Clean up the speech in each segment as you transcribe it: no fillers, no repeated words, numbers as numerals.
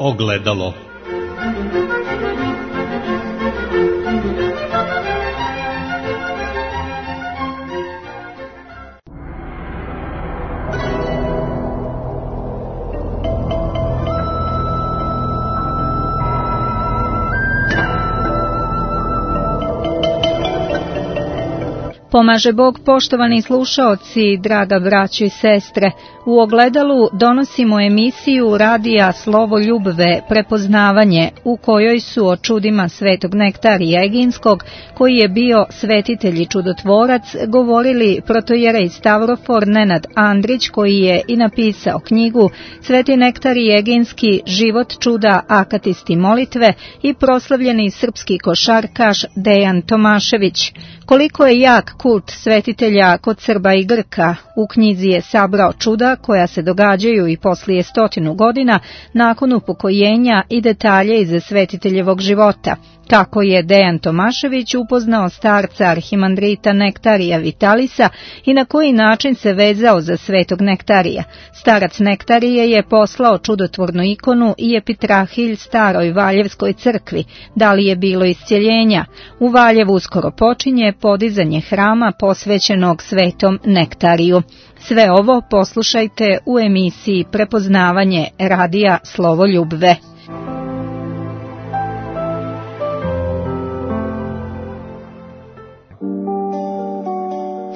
Ogledalo. Pomaže Bog, poštovani slušaoci, draga braćo i sestre. U Ogledalu donosimo emisiju radija Slovo Ljubve, prepoznavanje, u kojoj su o čudima svetog Nektarija Eginskog, koji je bio svetitelj i čudotvorac, govorili protojerej Stavrofor Nenad Andrić, koji je i napisao knjigu Sveti Nektarij Eginski, život, čuda, akatisti molitve, i proslavljeni srpski košarkaš Dejan Tomašević. Koliko je jak kult svetitelja kod Srba i Grka, u knjizi je sabrao čuda koja se događaju i poslije 100 godina nakon upokojenja i detalje iz svetiteljevog života. Kako je Dejan Tomašević upoznao starca arhimandrita Nektarija Vitalisa i na koji način se vezao za svetog Nektarija. Starac Nektarije je poslao čudotvornu ikonu i epitrahilj staroj Valjevskoj crkvi. Da li je bilo iscjeljenja? U Valjevu uskoro počinje podizanje hrama posvećenog svetom Nektariju. Sve ovo poslušajte u emisiji Prepoznavanje radija Slovo Ljubve.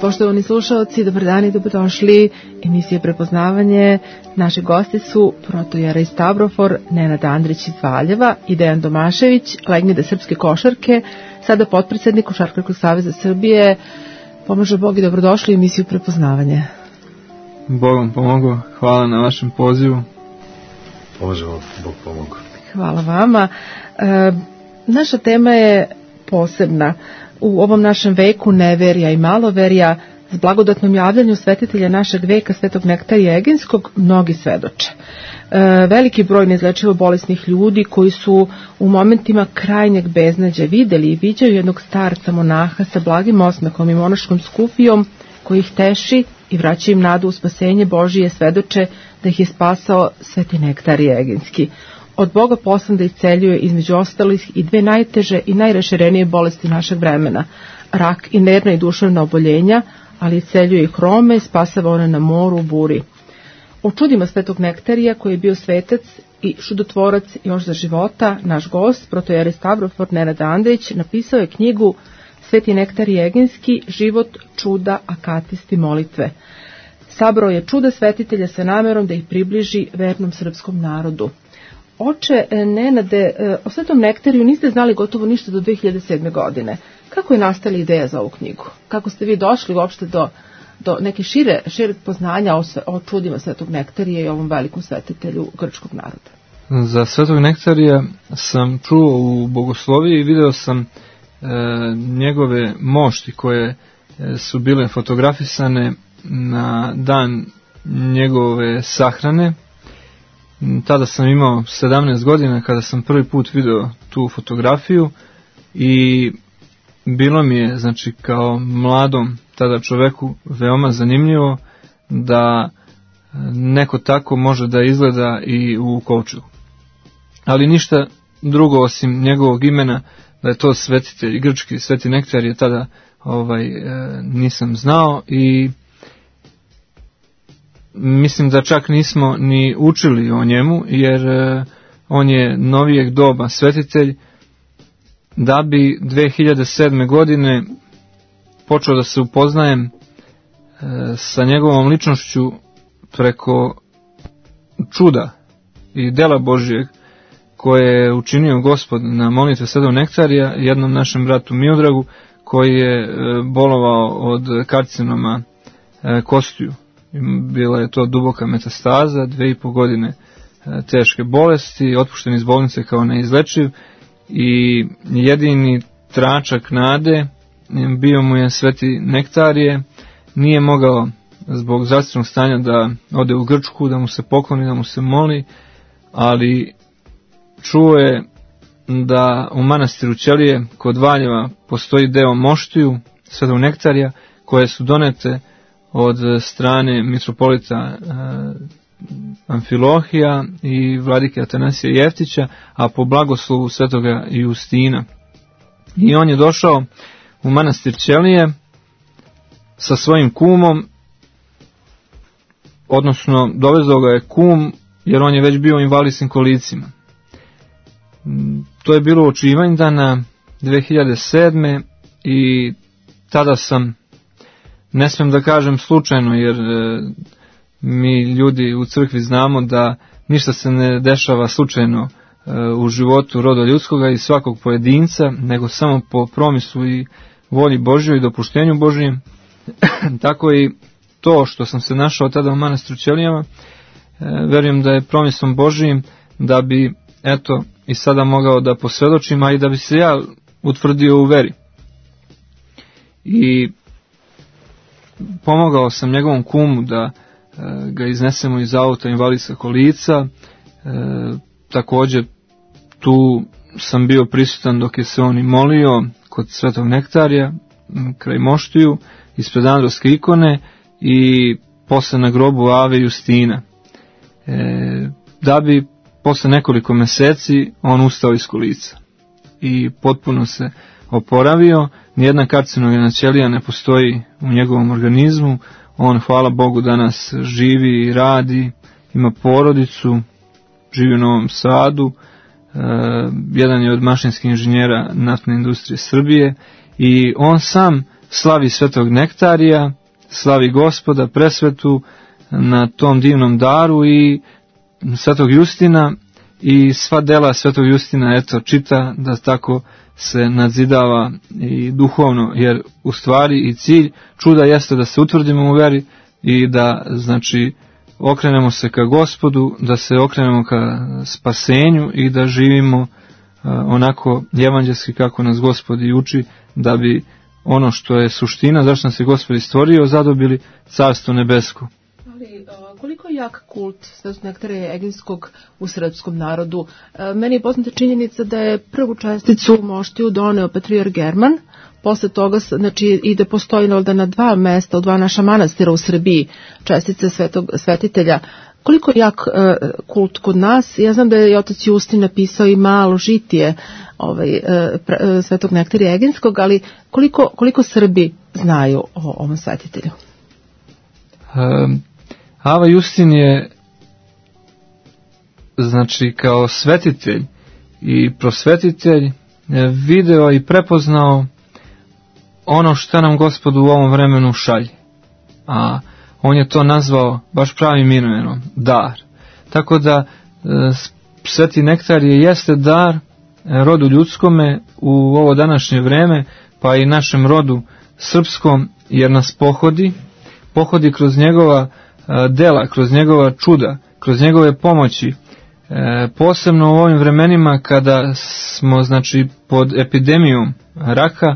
Poštovani slušalci, dobar dan i dobrodošli. Emisije Prepoznavanje. Naši gosti su protojerej Stavrofor Nenad Andrić iz Valjeva i Dejan Tomašević, legende srpske košarke, sada potpredsjednik Košarkaškog saveza Srbije. Pomaže Bog i dobrodošli u emisiju Prepoznavanje. Bog vam pomogao, hvala na vašem pozivu. Pomaže vam, Bog pomogao. Hvala vama. Naša tema je posebna. U ovom našem veku neverja i maloverja, s blagodatnom javljanju svetitelja našeg veka, svetog Nektarija Eginskog, mnogi svedoče. Veliki broj neizlečivo bolesnih ljudi koji su u momentima krajnjeg beznađa videli i viđaju jednog starca monaha sa blagim osmehom i monaškom skufijom koji ih teši i vraća im nadu u spasenje Božije, svedoče da ih je spasao sveti Nektarij Eginski. Od Boga poslan da isceljuje između ostalih i dve najteže i najraširenije bolesti našeg vremena, rak i nervna i duševna oboljenja, ali isceljuje i hrome i spasava one na moru u buri. O čudima svetog Nektarija, koji je bio svetac i čudotvorac još za života, naš gost, protojerej Stavrofor Nenad Andrić, napisao je knjigu Sveti Nektarij Eginski, život, čuda, akatisti molitve. Sabrao je čuda svetitelja sa namerom da ih približi vernom srpskom narodu. Oče Nenade, o svetom Nektariju niste znali gotovo ništa do 2007. godine. Kako je nastala ideja za ovu knjigu? Kako ste vi došli uopšte do neke šireg poznanja o čudima svetog Nektarija i ovom velikom svetitelju grčkog naroda? Za svetog Nektarija sam čuo u bogosloviji i video sam njegove mošti koje su bile fotografisane na dan njegove sahrane. Tada sam imao 17 godina kada sam prvi put video tu fotografiju i bilo mi je, znači, kao mladom tada čoveku veoma zanimljivo da neko tako može da izgleda i u kovčegu. Ali ništa drugo osim njegovog imena, da je to svetitelj grčki, sveti Nektarije, tada nisam znao i mislim da čak nismo ni učili o njemu, jer on je novijeg doba svetitelj, da bi 2007. godine počeo da se upoznajem sa njegovom ličnošću preko čuda i dela Božijeg koje je učinio Gospod na molitve svetog Nektarija, jednom našem bratu Miodragu, koji je bolovao od karcinoma kostiju. Bila je to duboka metastaza, 2,5 godine teške bolesti, otpušten iz bolnice kao neizlečiv i jedini tračak nade bio mu je sveti Nektarije. Nije mogao zbog zdravstvenog stanja da ode u Grčku, da mu se pokloni, da mu se moli, ali čuo je da u manastiru Ćelije kod Valjeva postoji deo moštiju svetog Nektarija koje su donete od strane mitropolita Amfilohija i vladike Atanasija Jeftića, a po blagoslovu svetoga Justina. I on je došao u manastir Ćelije sa svojim kumom, odnosno dovezao ga je kum, jer on je već bio u invalidskim kolicima. To je bilo oči Ivanjdana 2007. i tada sam, ne smijem da kažem slučajno, jer mi ljudi u crkvi znamo da ništa se ne dešava slučajno u životu roda ljudskoga i svakog pojedinca, nego samo po promislu i volji Božjoj i dopuštenju Božjem. Tako i to što sam se našao tada u manastiru Ćelijama, verujem da je promislom Božjim da bi, eto, i sada mogao da posvjedočim, a i da bi se ja utvrdio u veri. I pomogao sam njegovom kumu da ga iznesemo iz auta invalidska kolica. Također tu sam bio prisutan dok je se on i molio kod Svetog Nektarija kraj moštiju ispred Androvske ikone i posle na grobu Ave Justina. Da bi posle nekoliko meseci on ustao iz kolica i potpuno se oporavio. Nijedna karcinogena ćelija ne postoji u njegovom organizmu. On, hvala Bogu, danas živi i radi, ima porodicu, živi u Novom Sadu, jedan je od mašinskih inženjera naftne industrije Srbije i on sam slavi Svetog Nektarija, slavi Gospoda presvetu na tom divnom daru i Svetog Justina i sva dela Svetog Justina, eto, čita da tako se nadzidava i duhovno, jer u stvari i cilj čuda jeste da se utvrdimo u veri i da, znači, okrenemo se ka Gospodu, da se okrenemo ka spasenju i da živimo onako evanđelski kako nas Gospod i uči, da bi ono što je suština, zašto nas je Gospod stvorio, zadobili Carstvo nebesko. Ali koliko je jak kult Svetog Nektarija Eginskog u srpskom narodu? Meni je poznata činjenica da je prvu česticu moštiju doneo patrijarh German, posle toga, znači, i da postoji na dva mesta, u dva naša manastira u Srbiji, čestice Svetog Svetitelja. Koliko je jak kult kod nas? Ja znam da je otac Justin napisao i malo žitije Svetog Nektarija Eginskog, ali koliko Srbi znaju o ovom svetitelju? Ava Justin je, znači, kao svetitelj i prosvetitelj video i prepoznao ono što nam Gospod u ovom vremenu šalje. A on je to nazvao baš pravim imenom, dar. Tako da Sveti Nektarije jeste dar rodu ljudskome u ovo današnje vreme, pa i našem rodu srpskom, jer nas pohodi kroz njegova dela, kroz njegova čuda, kroz njegove pomoći, posebno u ovim vremenima kada smo, znači, pod epidemijom raka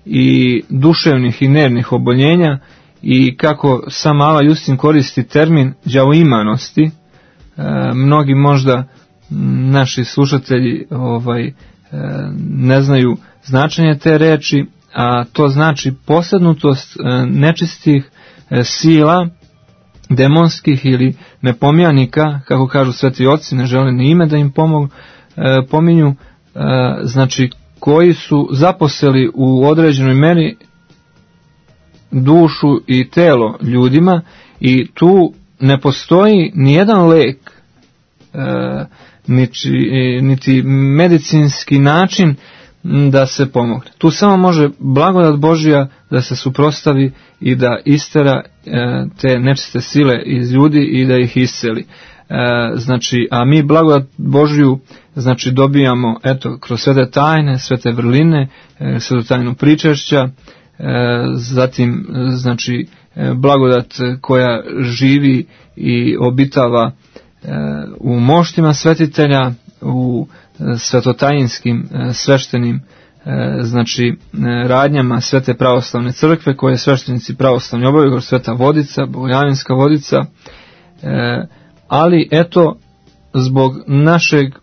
i duševnih i nervnih oboljenja, i kako sam Ava Justin koristi termin đavoimanosti. Mnogi možda naši slušatelji ne znaju značenje te reči, a to znači posadnutost nečistih sila, demonskih ili nepomjanika, kako kažu sveti oci, ne žele ni ime da im pominju, znači koji su zaposeli u određenoj meri dušu i telo ljudima, i tu ne postoji nijedan lek, niti medicinski način da se pomogne. Tu samo može blagodat Božja da se suprotstavi i da istera te nečiste sile iz ljudi i da ih isceli. Znači, a mi blagodat Božju, znači, dobijamo, eto, kroz svete tajne, svete vrline, svetu tajnu pričešća, zatim, znači, blagodat koja živi i obitava u moštima svetitelja, u svetotajinskim sveštenim, znači, radnjama Svete pravoslavne crkve koje sveštenici pravoslavni obavljaju, Sveta vodica, Bogojavljanska vodica, ali eto, zbog našeg,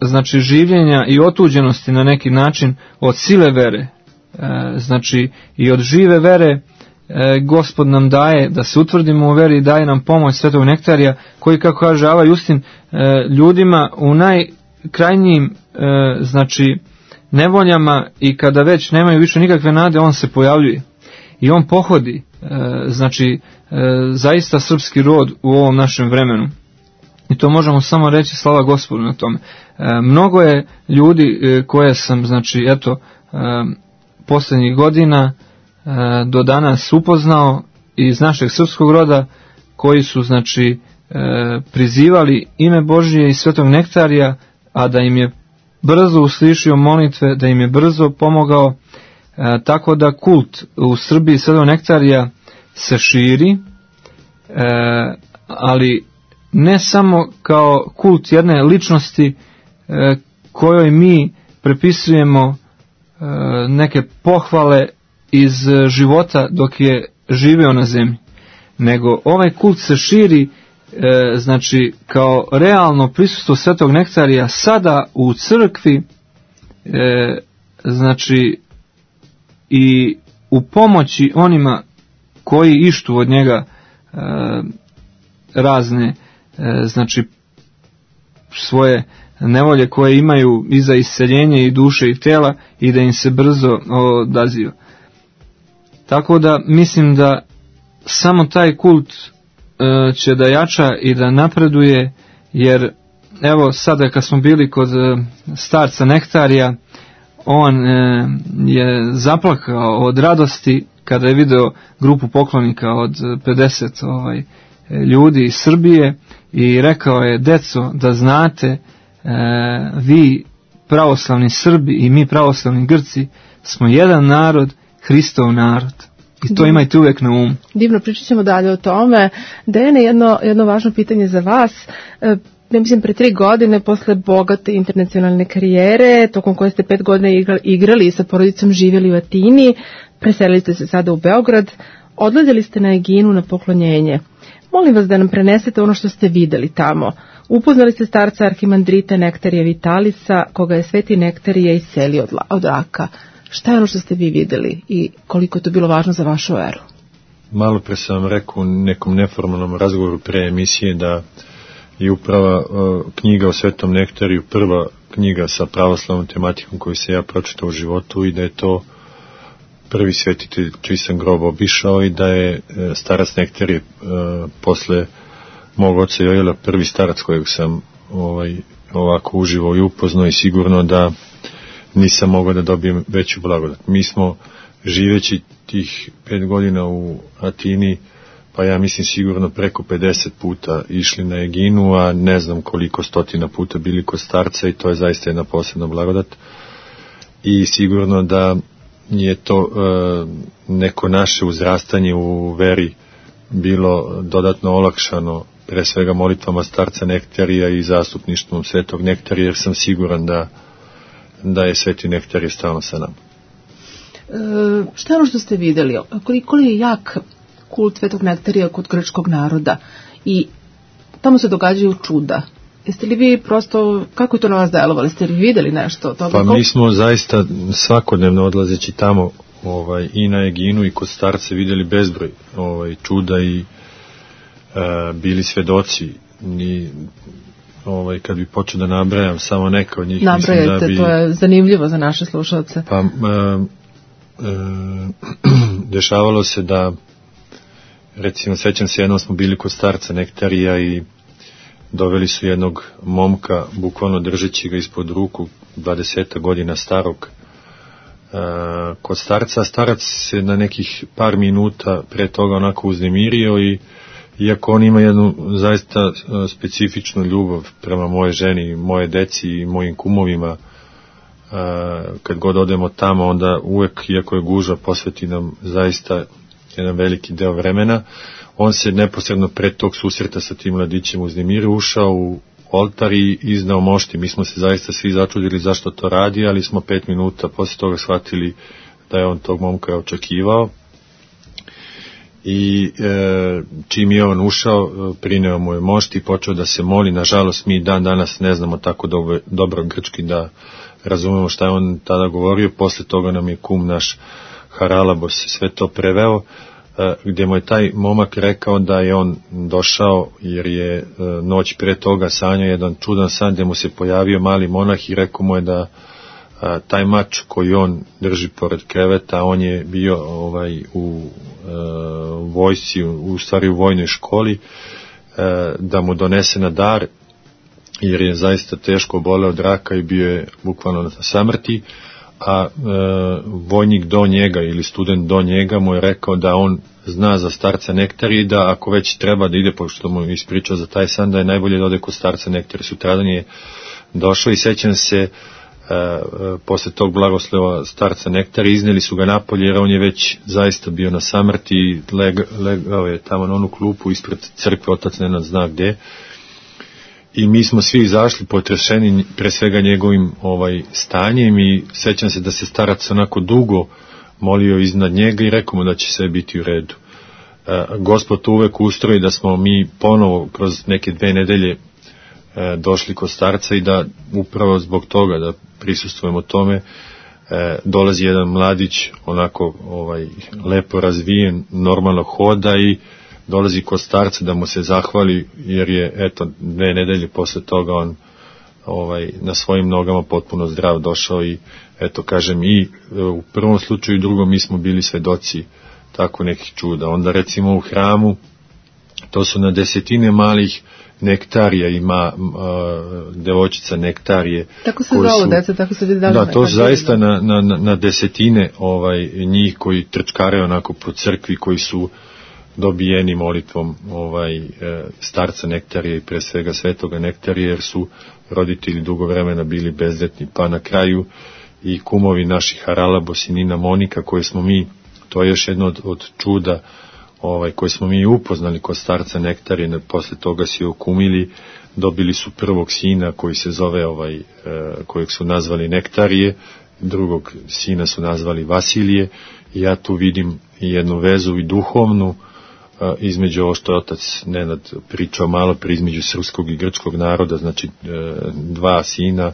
znači, življenja i otuđenosti na neki način od sile vere, znači i od žive vere, Gospod nam daje da se utvrdimo u veri, daje nam pomoć Svetog Nektarija, koji, kako kaže Ava Justin, ljudima u najkrajnjim nevoljama i kada već nemaju više nikakve nade, on se pojavljuje i on pohodi zaista srpski rod u ovom našem vremenu. I to možemo samo reći slava Gospodu na tome. Mnogo je ljudi koje sam posljednjih godina do danas upoznao iz našeg srpskog roda, koji su prizivali ime Božije i Svetog Nektarija, a da im je brzo uslišio molitve, da im je brzo pomogao, tako da kult u Srbiji Svetog Nektarija se širi, ali ne samo kao kult jedne ličnosti kojoj mi prepisujemo neke pohvale iz života dok je živeo na zemlji, nego ovaj kult se širi kao realno prisustvo Svetog Nektarija sada u crkvi, i u pomoći onima koji ištu od njega razne svoje nevolje koje imaju i za isceljenje i duše i tela, i da im se brzo odaziva. Tako da mislim da samo taj kult će da jača i da napreduje, jer evo sada kad smo bili kod starca Nektarija, on je zaplakao od radosti kada je video grupu poklonika od 50 ljudi iz Srbije i rekao je: deco, da znate, vi pravoslavni Srbi i mi pravoslavni Grci smo jedan narod, Hristov narod. I to imajte uvijek na umu. Divno, pričat ćemo dalje o tome. Dejane, jedno važno pitanje za vas. Ja mislim, pre 3 godine, posle bogate internacionalne karijere, tokom koje ste 5 godina igrali i sa porodicom živjeli u Atini, preselili ste se sada u Beograd, odlazili ste na Eginu na poklonjenje. Molim vas da nam prenesete ono što ste videli tamo. Upoznali ste starca arhimandrita Nektarija Vitalisa, koga je Sveti Nektarije iselio od raka. Šta je ono što ste vi videli i koliko je to bilo važno za vašu veru? Malo pre sam vam rekao u nekom neformalnom razgovoru pre emisije da je upravo knjiga o Svetom Nektariju prva knjiga sa pravoslavnom tematikom koju se ja pročitao u životu, i da je to prvi svetitelj čiji sam grob obišao, i da je starac Nektarije posle mog oca Jojela prvi starac kojeg sam ovako uživao i upoznao, i sigurno da nisam mogao da dobijem veću blagodat. Mi smo živeći tih 5 godina u Atini, pa ja mislim sigurno preko 50 puta išli na Eginu, a ne znam koliko stotina puta bili kod starca, i to je zaista jedna posebna blagodat. I sigurno da je to neko naše uzrastanje u veri bilo dodatno olakšano, pre svega molitvama starca Nektarija i zastupništvom Svetog Nektarija, jer sam siguran da je Sveti Nektarije stalno sa nama. Šta je ono što ste vidjeli? Koliko je jak kult Svetog Nektarija kod grčkog naroda i tamo se događaju čuda? Jeste li vi prosto, kako je to na vas delovali? Ste li vidjeli nešto od toga? Pa mi smo zaista svakodnevno odlazeći tamo i na Eginu i kod starce vidjeli bezbroj čuda i bili svedoci. I kad bi počeo da nabrajam samo neka od njih, nabrajete, mislim da bi... to je zanimljivo za naše slušalce. Pa dešavalo se da, recimo, sećam se, jednom smo bili kod starca Nektarija i doveli su jednog momka, bukvalno držeći ga ispod ruku, 20 godina starog, kod starca. Starac se na nekih par minuta pre toga onako uznemirio, i iako on ima jednu zaista specifičnu ljubav prema moje ženi, moje deci i mojim kumovima, kad god odemo tamo, onda uvek, iako je gužva, posveti nam zaista jedan veliki deo vremena. On se neposredno pred tog susreta sa tim mladićem uznemirio, ušao u oltar i iznao mošti. Mi smo se zaista svi začudili zašto to radi, ali smo 5 minuta posle toga shvatili da je on tog momka očekivao. I čim je on ušao, prineo mu je mošt i počeo da se moli. Nažalost, mi dan danas ne znamo tako dobro grčki da razumemo šta je on tada govorio. Posle toga nam je kum naš Haralabos sve to preveo. gdje mu je taj momak rekao da je on došao jer je noć pre toga sanjao jedan čudan san gdje mu se pojavio mali monah i rekao mu je da taj mač koji on drži pored kreveta, on je bio u vojsci, u stvari u vojnoj školi, da mu donese na dar jer je zaista teško boleo od raka i bio je bukvalno na samrti, a vojnik do njega ili student do njega mu je rekao da on zna za starca Nektarije i da ako već treba da ide, pošto mu ispričao za taj san, da je najbolje da ode kod starca Nektarije. Sutradan je došao i sećam se posle tog blagoslova starca Nektarije, izneli su ga napolje jer on je već zaista bio na samrti i legao je tamo na onu klupu ispred crkve, otac Nenad zna gde. I mi smo svi izašli potrešeni pre svega njegovim stanjem i sećam se da se starac onako dugo molio iznad njega i rekao mu da će sve biti u redu. Gospod uvek ustroji da smo mi ponovo kroz neke 2 nedelje došli kod starca i da upravo zbog toga da prisustvujemo tome dolazi jedan mladić onako lepo razvijen, normalno hoda i dolazi kod starca da mu se zahvali jer je 2 nedelje posle toga on na svojim nogama potpuno zdrav došao i kažem i u prvom slučaju i drugom mi smo bili svedoci tako nekih čuda. Onda recimo u hramu to su na desetine malih Nektarija, ima devojčica Nektarije. Tako se zove deca, tako se vidi. Da, to zaista na desetine njih koji trčkare onako po crkvi, koji su dobijeni molitvom starca Nektarije i pre svega svetoga Nektarije, jer su roditelji dugo vremena bili bezdetni, pa na kraju i kumovi naših Haralabos i Nina Monika, koje smo mi, to je još jedno od čuda koje smo mi upoznali kod starca Nektarije, posle toga si okumili, dobili su prvog sina koji se zove kojeg su nazvali Nektarije, drugog sina su nazvali Vasilije, i ja tu vidim jednu vezu i duhovnu između ovo što je otac Nenad pričao malo pre, između srpskog i grčkog naroda, znači 2 sina,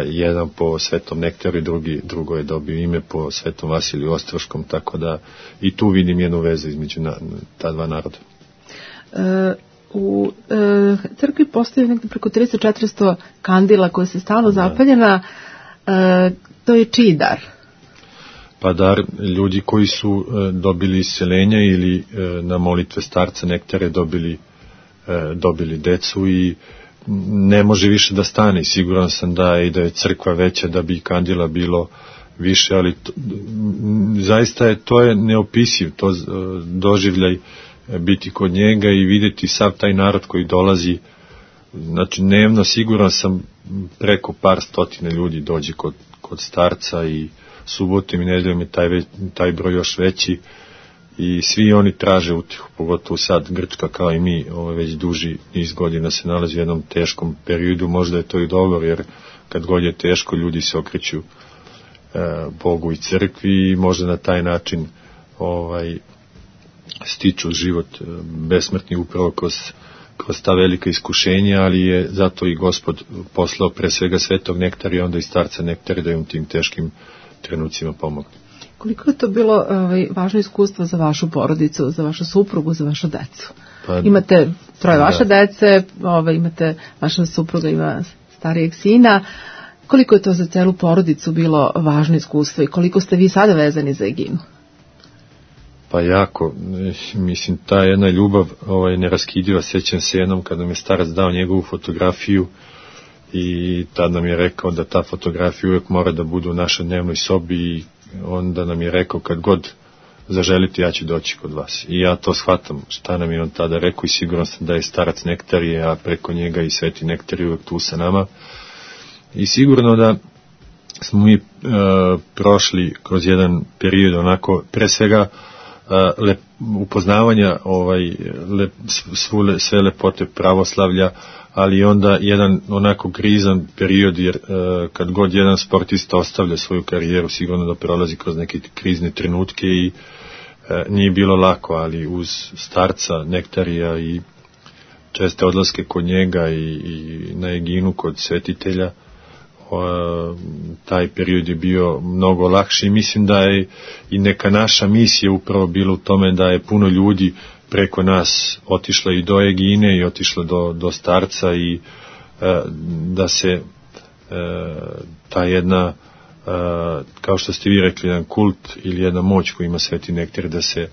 jedan po svetom Nektariju, drugo je dobio ime po svetom Vasiliju Ostroškom, tako da i tu vidim jednu vezu između ta 2 naroda. U crkvi postoji nekde preko 300-400 kandila koje se stalno zapaljena. To je čiji dar? Pa dar ljudi koji su dobili isceljenja ili na molitve starca Nektarije dobili decu i ne može više da stane, i siguran sam da je crkva veća da bi kandila bilo više, ali zaista to je neopisiv, to doživljaj biti kod njega i vidjeti sav taj narod koji dolazi, znači dnevno siguran sam preko par stotina ljudi dođe kod starca, i subotom i nedeljom je taj broj još veći i svi oni traže utihu, pogotovo sad Grčka kao i mi već duži niz godina se nalazi u jednom teškom periodu. Možda je to i dobro, jer kad god je teško ljudi se okreću Bogu i crkvi i možda na taj način stiču život besmrtni upravo kroz ta velika iskušenja, ali je zato i Gospod poslao pre svega svetog Nektarija, onda i starca Nektarija da im tim teškim trenucima pomogne. Koliko je to bilo važno iskustvo za vašu porodicu, za vašu suprugu, za vašu decu? Pa, imate 3 vaše dece, imate vaša supruga, ima starijeg sina. Koliko je to za celu porodicu bilo važno iskustvo i koliko ste vi sada vezani za Eginu? Pa jako, mislim, ta jedna ljubav neraskidiva. Sećam se jednom kada nam je starac dao njegovu fotografiju i tad nam je rekao da ta fotografija uvijek mora da bude u našoj dnevnoj sobi, i onda nam je rekao kad god zaželite ja ću doći kod vas. I ja to shvatam šta nam je on tada rekao i siguran sam da je starac Nektarije, a preko njega i sveti Nektarije uvijek tu sa nama. I sigurno da smo mi prošli kroz jedan period onako, pre svega upoznavanja sve lepote pravoslavlja, ali onda jedan onako krizan period, jer kad god jedan sportista ostavlja svoju karijeru, sigurno da prolazi kroz neke krizne trenutke i nije bilo lako, ali uz starca Nektarija i česte odlaske kod njega i na Eginu kod svetitelja, taj period je bio mnogo lakši i mislim da je i neka naša misija upravo bila u tome da je puno ljudi preko nas otišla i do Egine i otišla do starca i da se ta jedna, kao što ste vi rekli, jedan kult ili jedna moć koju ima Sveti nektar, da se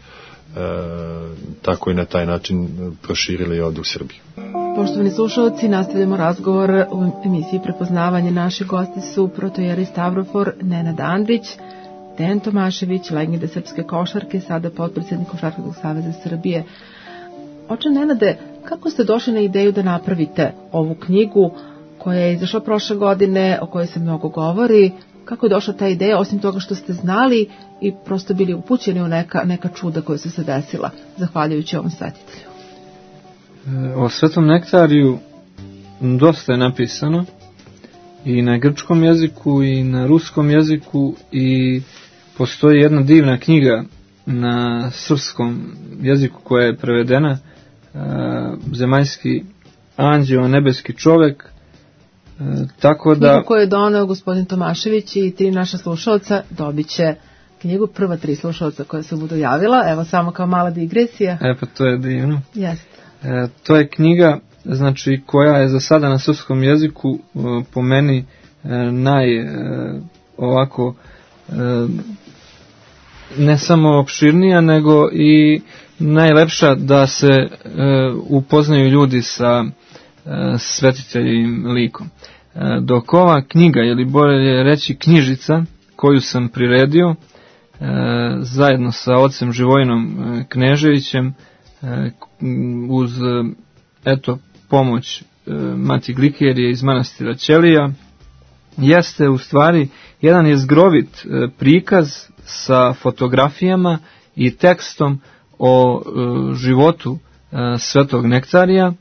tako i na taj način proširila i ovdje u Srbiji. Poštovani slušalci, nastavljamo razgovor u emisiji Prepoznavanje. Naši gosti su protojeri Stavrofor Nenad Andrić, Dejan Tomašević, legende srpske košarke, sada potpredsjednik Košarkaškog saveza Srbije. Oče Nenade, kako ste došli na ideju da napravite ovu knjigu koja je izašla prošle godine, o kojoj se mnogo govori? Kako je došla ta ideja, osim toga što ste znali i prosto bili upućeni u neka čuda koja su se desila, zahvaljujući ovom svetitelju? O Svetom nektariju dosta je napisano i na grčkom jeziku i na ruskom jeziku i postoji jedna divna knjiga na srpskom jeziku koja je prevedena, Zemaljski anđeo, nebeski čovek, tako da... Knjigu koju je doneo gospodin Tomašević i 3 naša slušalca dobit će knjigu, prva 3 slušalca koja se budu javila, evo samo kao mala digresija. Pa to je divno. Jeste. To je knjiga, znači, koja je za sada na srpskom jeziku po meni ovako ne samo opširnija, nego i najlepša da se upoznaju ljudi sa svetiteljim likom. Dok ova knjiga, ili bolje reći knjižica, koju sam priredio zajedno sa ocem Živojinom Kneževićem, uz pomoć Mati Glikerije iz manastira Ćelija, jeste u stvari jedan jezgrovit prikaz sa fotografijama i tekstom o životu Svetog nektarija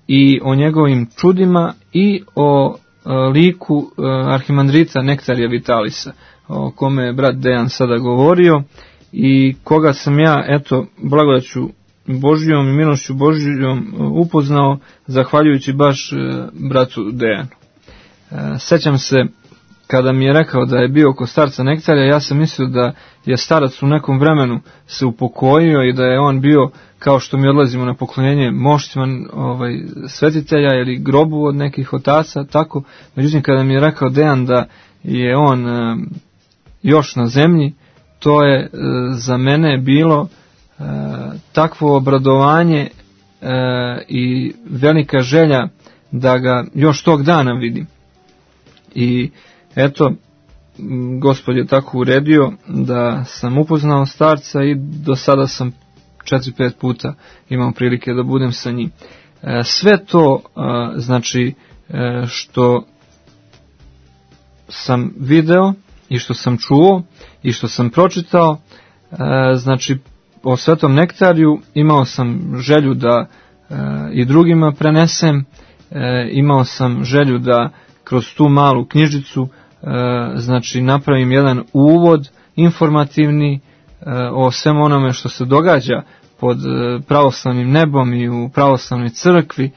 i o njegovim čudima i o liku arhimandrita Nektarija Vitalisa, o kome je brat Dejan sada govorio i koga sam ja, blagodaću Božijom i milošću Božijom upoznao zahvaljujući baš bratu Dejanu. Sećam se kada mi je rekao da je bio kod starca Nektarija, ja sam mislio da je starac u nekom vremenu se upokojio i da je on bio, kao što mi odlazimo na poklonjenje, moštima svetitelja ili grobu od nekih otaca, tako. Međutim, kada mi je rekao Dejan da je on još na zemlji, to je za mene bilo takvo obradovanje i velika želja da ga još tog dana vidim. I Gospod je tako uredio da sam upoznao starca i do sada sam 4-5 puta imao prilike da budem sa njim. Sve to, znači, što sam video i što sam čuo i što sam pročitao, znači, o Svetom nektariju imao sam želju da i drugima prenesem, imao sam želju da kroz tu malu knjižicu znači napravim jedan uvod informativni o svem onome što se događa pod pravoslavnim nebom i u pravoslavnoj crkvi,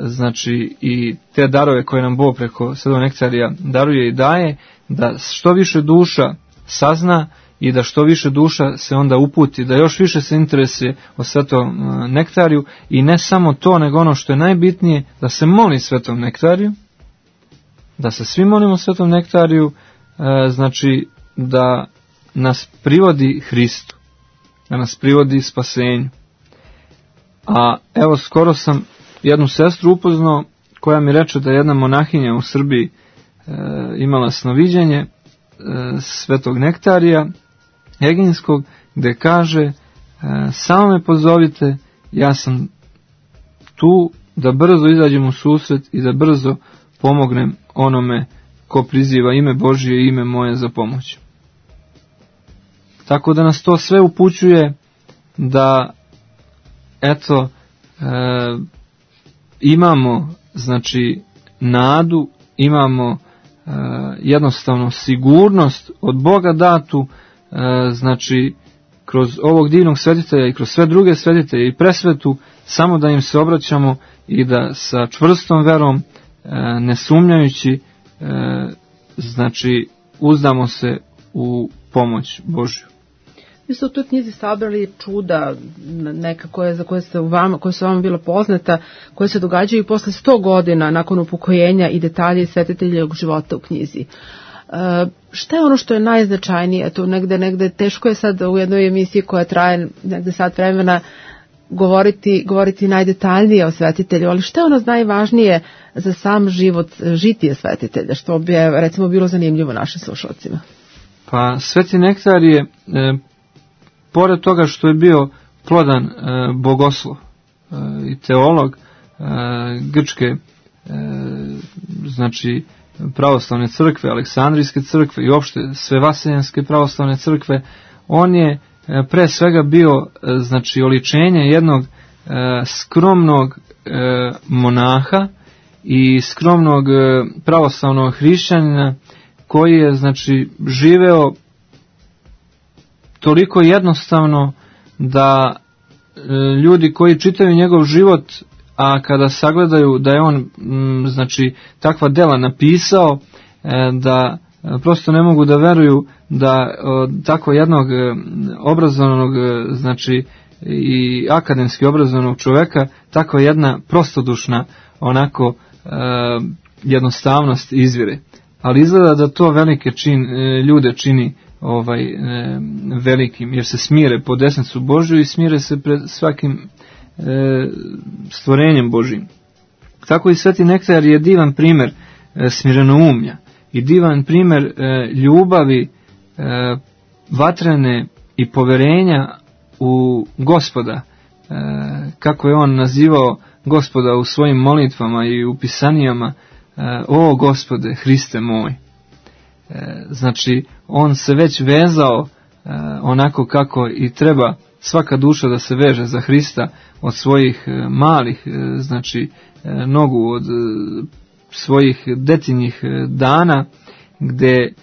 znači i te darove koje nam Bog preko Svetog nektarija daruje i daje, da što više duša sazna i da što više duša se onda uputi, da još više se interesuje o Svetom nektariju i ne samo to, nego ono što je najbitnije, da se moli Svetom nektariju, da se svi molimo Svetom nektariju, znači da nas privodi Hristu, da nas privodi spasenju. A evo, skoro sam jednu sestru upoznao koja mi reče da je jedna monahinja u Srbiji imala snoviđenje Svetog nektarija Eginskog, gde kaže: samo me pozovite, ja sam tu da brzo izađem u susret i da brzo pomognem onome ko priziva ime Božije i ime moje za pomoć. Tako da nas to sve upućuje da imamo, znači, nadu, imamo jednostavno sigurnost od Boga datu, znači kroz ovog divnog svetitelja i kroz sve druge svetitelje i presvetu, samo da im se obraćamo i da sa čvrstom verom, ne sumnjajući, znači uzdamo se u pomoć Božju. Vi ste u toj knjizi sabrali čuda neka koja su vama bila poznata, koje se događaju posle 100 godina nakon upokojenja i detalje svetiteljevog života u knjizi. Šta je ono što je najznačajnije? To negde teško je sad u jednoj emisiji koja traje negde sat vremena govoriti najdetaljnije o svetitelju, ali šta je ono najvažnije za sam život, žitije svetitelja, što bi recimo bilo zanimljivo našim slušalcima? Pa Sveti Nektar je, pored toga što je bio plodan bogoslov i teolog grčke, znači pravoslavne crkve, Aleksandrijske crkve i opšte Svevaseljanske pravoslavne crkve, on je pre svega bio, znači, oličenje jednog skromnog monaha i skromnog pravoslavnog hrišćanina koji je, znači, živeo toliko jednostavno da ljudi koji čitaju njegov život, a kada sagledaju da je on, znači, takva dela napisao, da prosto ne mogu da veruju da tako jednog obrazovanog, znači i akademski obrazovanog čoveka, takva jedna prostodušna onako jednostavnost izvire. Ali izgleda da to velike ljude čini velikim, jer se smire po desnicu Božju i smire se pred svakim stvorenjem Božjim. Tako i Sveti Nektar je divan primer smirenoumlja i divan primer ljubavi vatrene i poverenja u Gospoda, kako je on nazivao Gospoda u svojim molitvama i u pisanijama: o Gospode, Hriste moj. Znači, on se već vezao onako kako i treba svaka duša da se veže za Hrista od svojih malih, znači nogu, od svojih detinjih dana, gde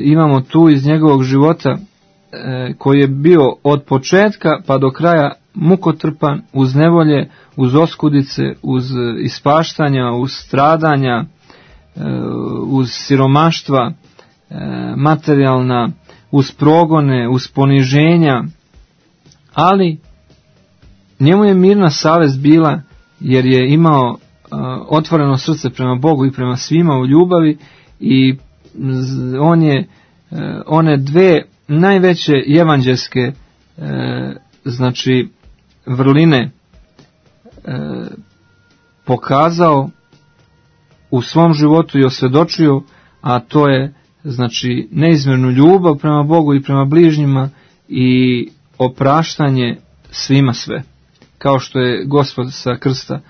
imamo tu iz njegovog života koji je bio od početka pa do kraja mukotrpan, uz nevolje, uz oskudice, uz ispaštanja, uz stradanja, uz siromaštva materijalna, uz progone, uz poniženja, ali njemu je mirna savest bila, jer je imao otvoreno srce prema Bogu i prema svima u ljubavi, i on je one dve najveće evanđelske znači vrline pokazao u svom životu i osvjedočio, a to je, znači, neizmjernu ljubav prema Bogu i prema bližnjima i opraštanje svima sve, kao što je Gospod sa krsta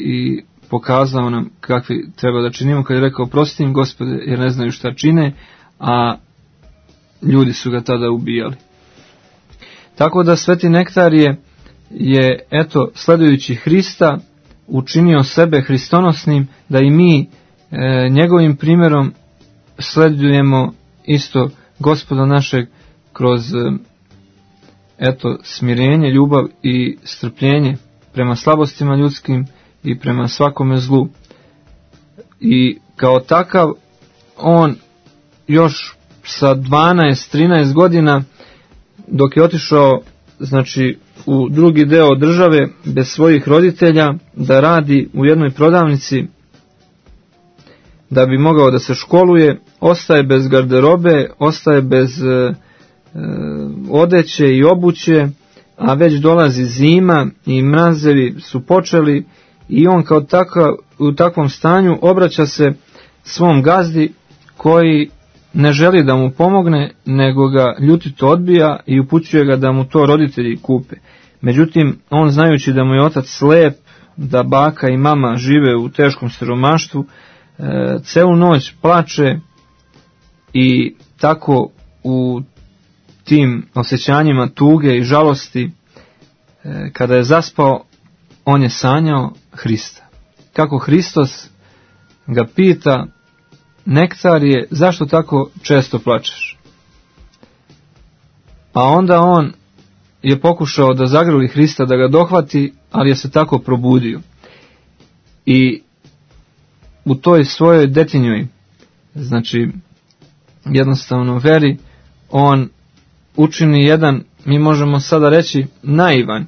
i pokazao nam kakvi treba da činimo, kad je rekao: prosti im, Gospode, jer ne znaju šta čine, a ljudi su ga tada ubijali. Tako da Sveti Nektar je eto, sledujući Hrista, učinio sebe hristonosnim, da i mi njegovim primjerom sledujemo isto Gospoda našeg kroz eto, smirenje, ljubav i strpljenje prema slabostima ljudskim i prema svakome zlu. I kao takav on još sa 12-13 godina, dok je otišao, znači, u drugi deo države bez svojih roditelja da radi u jednoj prodavnici da bi mogao da se školuje, ostaje bez garderobe, ostaje bez odeće i obuće, a već dolazi zima i mrazevi su počeli, i on kao takav, u takvom stanju obraća se svom gazdi, koji ne želi da mu pomogne, nego ga ljutito odbija i upućuje ga da mu to roditelji kupe. Međutim, on, znajući da mu je otac slep, da baka i mama žive u teškom siromaštvu, celu noć plače, i tako u tim osjećanjima tuge i žalosti, kada je zaspao, on je sanjao Hrista. Kako Hristos ga pita: Nektarije, zašto tako često plačeš? A onda on je pokušao da zagrli Hrista, da ga dohvati, ali je se tako probudio. I u toj svojoj detinjoj, znači jednostavno veri, on učini jedan, mi možemo sada reći, naivan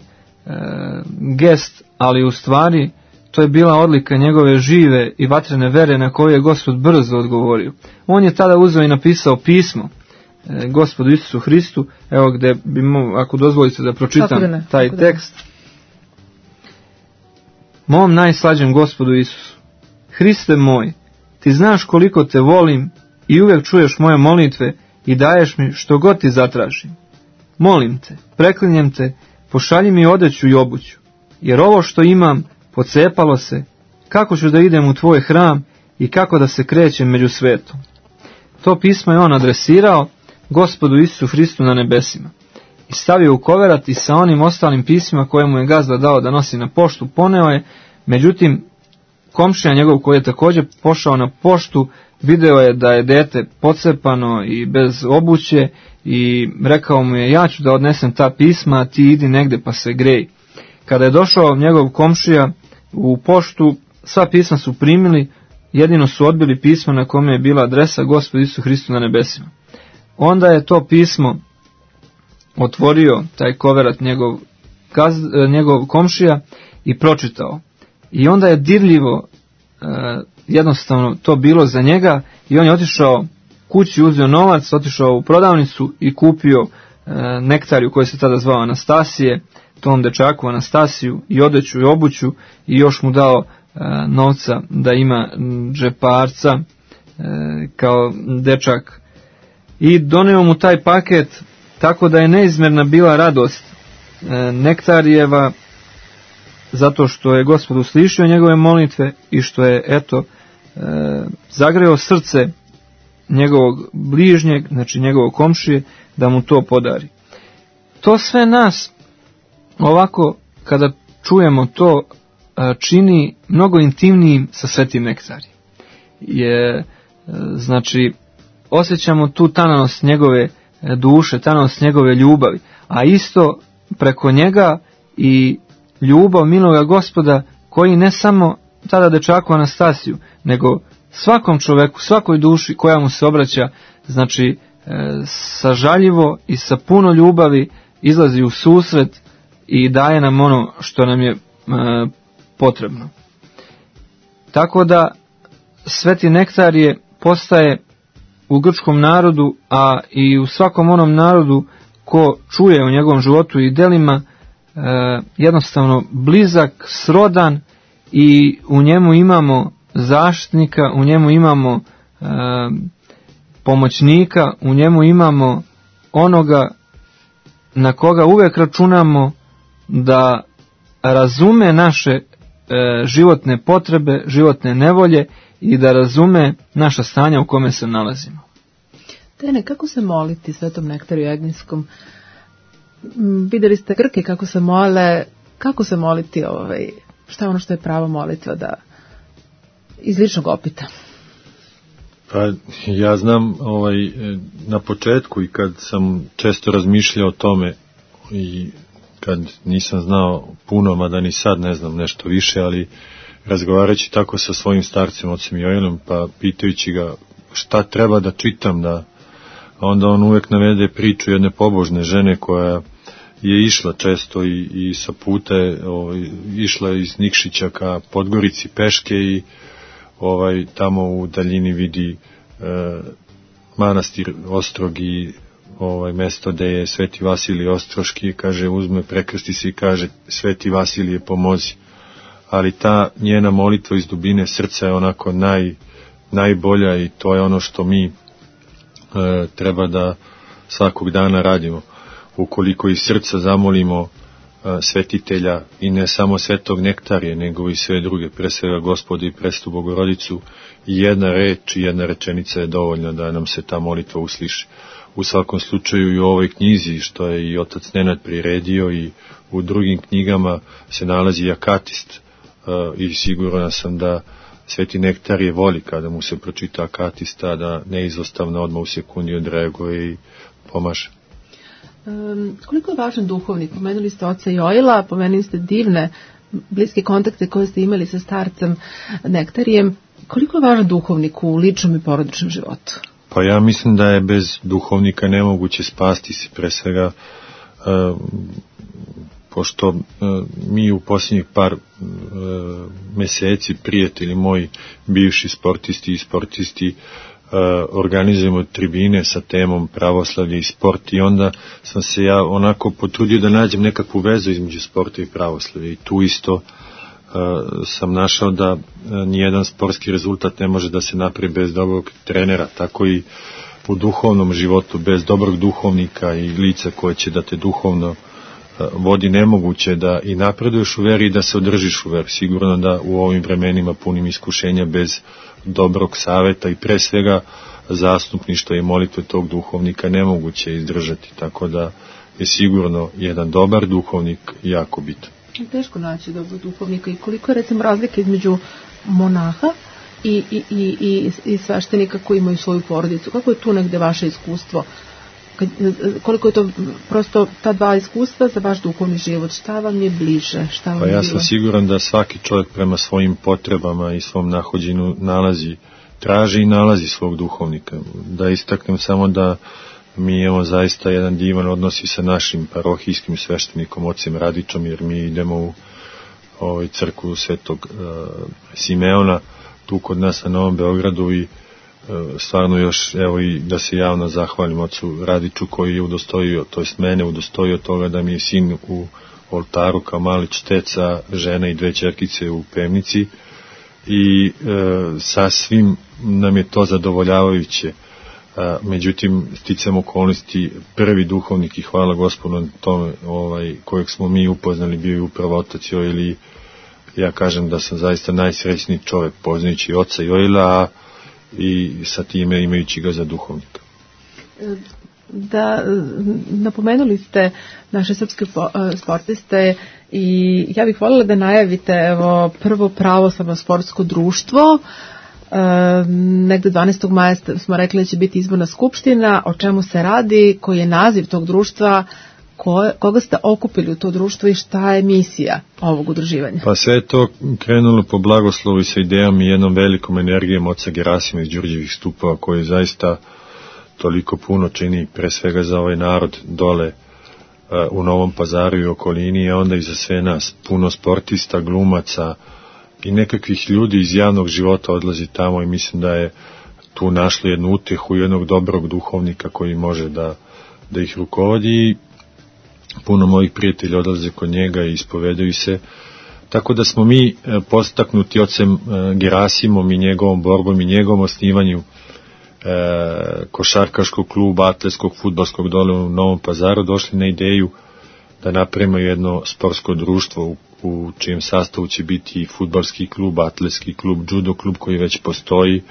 gest, ali u stvari to je bila odlika njegove žive i vatrene vere na koju je Gospod brzo odgovorio. On je tada uzeo i napisao pismo Gospodu Isusu Hristu, evo gde bi, ako dozvolite da pročitam taj tekst. Mom najslađem Gospodu Isusu, Hriste moj, ti znaš koliko te volim i uvijek čuješ moje molitve i daješ mi što god ti zatražim. Molim te, preklinjem te, pošalji mi odeću i obuću, jer ovo što imam pocepalo se, kako ću da idem u tvoj hram i kako da se krećem među svetom. To pismo je on adresirao Gospodu Isusu Hristu na nebesima i stavio u koverat i sa onim ostalim pismima koje mu je gazda dao da nosi na poštu poneo je. Međutim, komšija njegov koji je također pošao na poštu video je da je dete pocepano i bez obuće i rekao mu je, ja ću da odnesem ta pisma, ti idi negde pa se grej. Kada je došao njegov komšija u poštu, sva pisma su primili, jedino su odbili pismo na kome je bila adresa Gospodu Isusu Hristu na nebesima. Onda je to pismo otvorio, taj koverat njegov komšija, i pročitao. I onda je dirljivo jednostavno to bilo za njega i on je otišao kući, uzeo novac, otišao u prodavnicu i kupio nektariju koja se tada zvao Anastasije, tom dečaku Anastasiju, i odeću i obuću, i još mu dao novca da ima džeparca kao dečak. I doneo mu taj paket, tako da je neizmjerna bila radost nektarijeva, zato što je Gospod uslišio njegove molitve i što je, eto, zagreo srce njegovog bližnjeg, znači njegovog komšije, da mu to podari. To sve nas, ovako, kada čujemo to, čini mnogo intimnijim sa svetim nektarijem. Znači, osjećamo tu tananost njegove duše, tananost njegove ljubavi, a isto preko njega i ljubav miloga Gospoda, koji ne samo tada dečaku Anastasiju, nego svakom čoveku, svakoj duši koja mu se obraća, znači sažaljivo i sa puno ljubavi izlazi u susret i daje nam ono što nam je potrebno. Tako da sveti nektarije postaje u grčkom narodu, a i u svakom onom narodu ko čuje o njegovom životu i delima, jednostavno blizak, srodan, i u njemu imamo zaštitnika, u njemu imamo pomoćnika, u njemu imamo onoga na koga uvijek računamo da razume naše životne potrebe, životne nevolje i da razume naša stanja u kome se nalazimo. Tene, kako se moliti svetom nektariju Egninskom? Vidjeli ste Grke kako se mole, kako se moliti, šta je ono što je pravo molitva, da iz ličnog opita? Pa ja znam na početku i kad sam često razmišljao o tome i kad nisam znao puno, mada ni sad ne znam nešto više, ali razgovarajući tako sa svojim starcem, ocem Joelom, pa pitajući ga šta treba da čitam, da onda on uvek navede priču jedne pobožne žene koja je išla često i sa puta išla iz Nikšića ka Podgorici peške i tamo u daljini vidi manastir Ostrog i mesto gde je Sveti Vasilije Ostroški, kaže, uzme, prekrsti se i kaže, Sveti Vasilije pomozi. Ali ta njena molitva iz dubine srca je onako najbolja i to je ono što mi treba da svakog dana radimo. Ukoliko iz srca zamolimo svetitelja i ne samo svetog nektarije, nego i sve druge, pre svega Gospoda i Presvetu Bogorodicu, i jedna reč i jedna rečenica je dovoljna da nam se ta molitva usliši. U svakom slučaju i u ovoj knjizi, što je i otac Nenad priredio, i u drugim knjigama se nalazi akatist, i siguran sam da sveti nektarije voli kada mu se pročita akatista, da neizostavno odmah u sekundi odreaguje i pomaže. Koliko je važan duhovnik? Pomenuli ste oca Joila, pomenuli ste divne bliske kontakte koje ste imali sa starcem Nektarijem. Koliko je važan duhovnik u ličnom i porodičnom životu? Pa ja mislim da je bez duhovnika nemoguće spasti se, pre svega pošto mi u posljednjih par meseci, prijatelji moji, bivši sportisti i sportisti, organizujemo tribine sa temom pravoslavlje i sport, i onda sam se ja onako potrudio da nađem nekakvu vezu između sporta i pravoslavlja, i tu isto sam našao da nijedan sportski rezultat ne može da se napravi bez dobrog trenera, tako i u duhovnom životu bez dobrog duhovnika i lica koje će da te duhovno vodi, nemoguće da i napreduješ u veri i da se održiš u veri. Sigurno da u ovim vremenima punim iskušenja bez dobrog saveta i pre svega zastupništva i molitve tog duhovnika nemoguće izdržati, tako da je sigurno jedan dobar duhovnik jako bitan. Teško naći dobrog duhovnika. I koliko je recimo razlika između monaha i sveštenika koji imaju svoju porodicu? Kako je tu negde vaše iskustvo? Koliko je to prosto ta dva iskustva za vaš duhovni život? Šta vam je bliže? Pa ja sam siguran da svaki čovjek prema svojim potrebama i svom nahođenju traži i nalazi svog duhovnika. Da istaknem samo da mi imamo zaista jedan divan odnos i sa našim parohijskim sveštenikom, ocem Radičom, jer mi idemo u crkvu Svetog Simeona, tu kod nas na Novom Beogradu, i stvarno još, evo, i da se javno zahvalim ocu Radiču koji je udostojio, to jest mene udostojio toga da mi je sin u oltaru kao mali čteca, žena i 2 ćerkice u pevnici, i sasvim nam je to zadovoljavajuće. Međutim, sticam okolnosti, prvi duhovnik, i hvala Gospodu na tome, kojeg smo mi upoznali, bio je upravo otac Joil, i ja kažem da sam zaista najsrećniji čovjek poznajući oca Joila i sa time imajući ga za duhovnika. Da, napomenuli ste naše srpske sportiste, i ja bih voljela da najavite prvo pravoslavno sportsko društvo. Negde 12. maja smo rekli da će biti izborna skupština. O čemu se radi, koji je naziv tog društva, koga ste okupili u to društvo i šta je misija ovog udruživanja? Pa sve je to krenulo po blagoslovu i sa idejom i jednom velikom energijom oca Gerasima iz Đurđevih Stupova, koji zaista toliko puno čini pre svega za ovaj narod dole u Novom Pazaru i okolini, a onda i za sve nas. Puno sportista, glumaca i nekakvih ljudi iz javnog života odlazi tamo, i mislim da je tu našli jednu utehu, jednog dobrog duhovnika koji može da ih rukovodi. Puno mojih prijatelja odlaze kod njega i ispovedaju se, tako da smo mi postaknuti ocem Gerasimom i njegovom borbom i njegovom osnivanju košarkaškog kluba, atletskog, fudbalskog dole u Novom Pazaru došli na ideju da napravimo jedno sportsko društvo u čijem sastavu će biti fudbalski klub, atletski klub, judo klub koji već postoji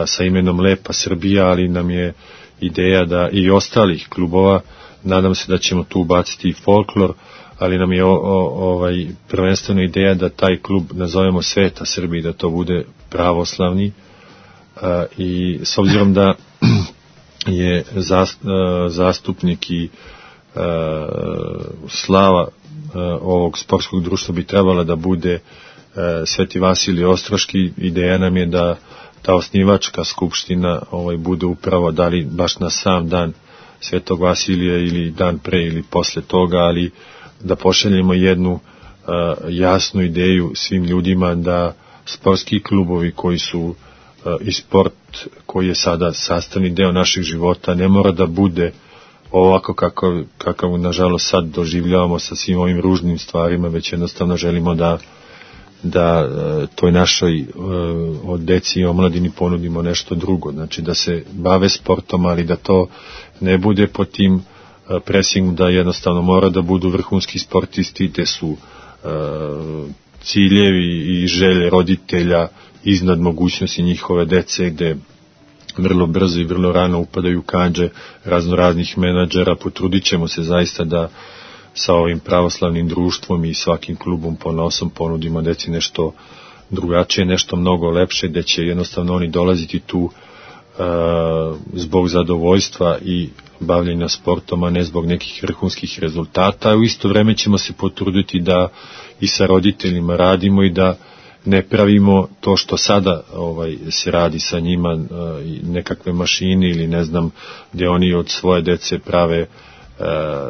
sa imenom Lepa Srbija, ali nam je ideja da i ostalih klubova, nadam se da ćemo tu ubaciti i folklor, ali nam je prvenstveno ideja da taj klub nazovemo Sveta Srbija, da to bude pravoslavni, i s obzirom da je zastupnik i slava ovog sportskog društva bi trebala da bude Sveti Vasilij Ostroški, ideja nam je da ta osnivačka skupština bude upravo, da li baš na sam dan Svetog Vasilija ili dan pre ili posle toga, ali da pošaljemo jednu jasnu ideju svim ljudima da sportski klubovi koji su i sport koji je sada sastavni deo naših života ne mora da bude ovako kakav nažalost sad doživljavamo sa svim ovim ružnim stvarima, već jednostavno želimo da toj našoj od deci i omladini ponudimo nešto drugo, znači da se bave sportom, ali da to ne bude po tim presingom da jednostavno mora da budu vrhunski sportisti, gde su ciljevi i želje roditelja iznad mogućnosti njihove dece, gde vrlo brzo i vrlo rano upadaju kanđe raznoraznih menadžera. Potrudit ćemo se zaista da sa ovim pravoslavnim društvom i svakim klubom ponosom ponudimo deci nešto drugačije, nešto mnogo lepše, gde će jednostavno oni dolaziti tu zbog zadovoljstva i bavljenja sportom, a ne zbog nekih vrhunskih rezultata. U isto vreme ćemo se potruditi da i sa roditeljima radimo i da ne pravimo to što sada se radi sa njima, nekakve mašine ili ne znam, gdje oni od svoje dece prave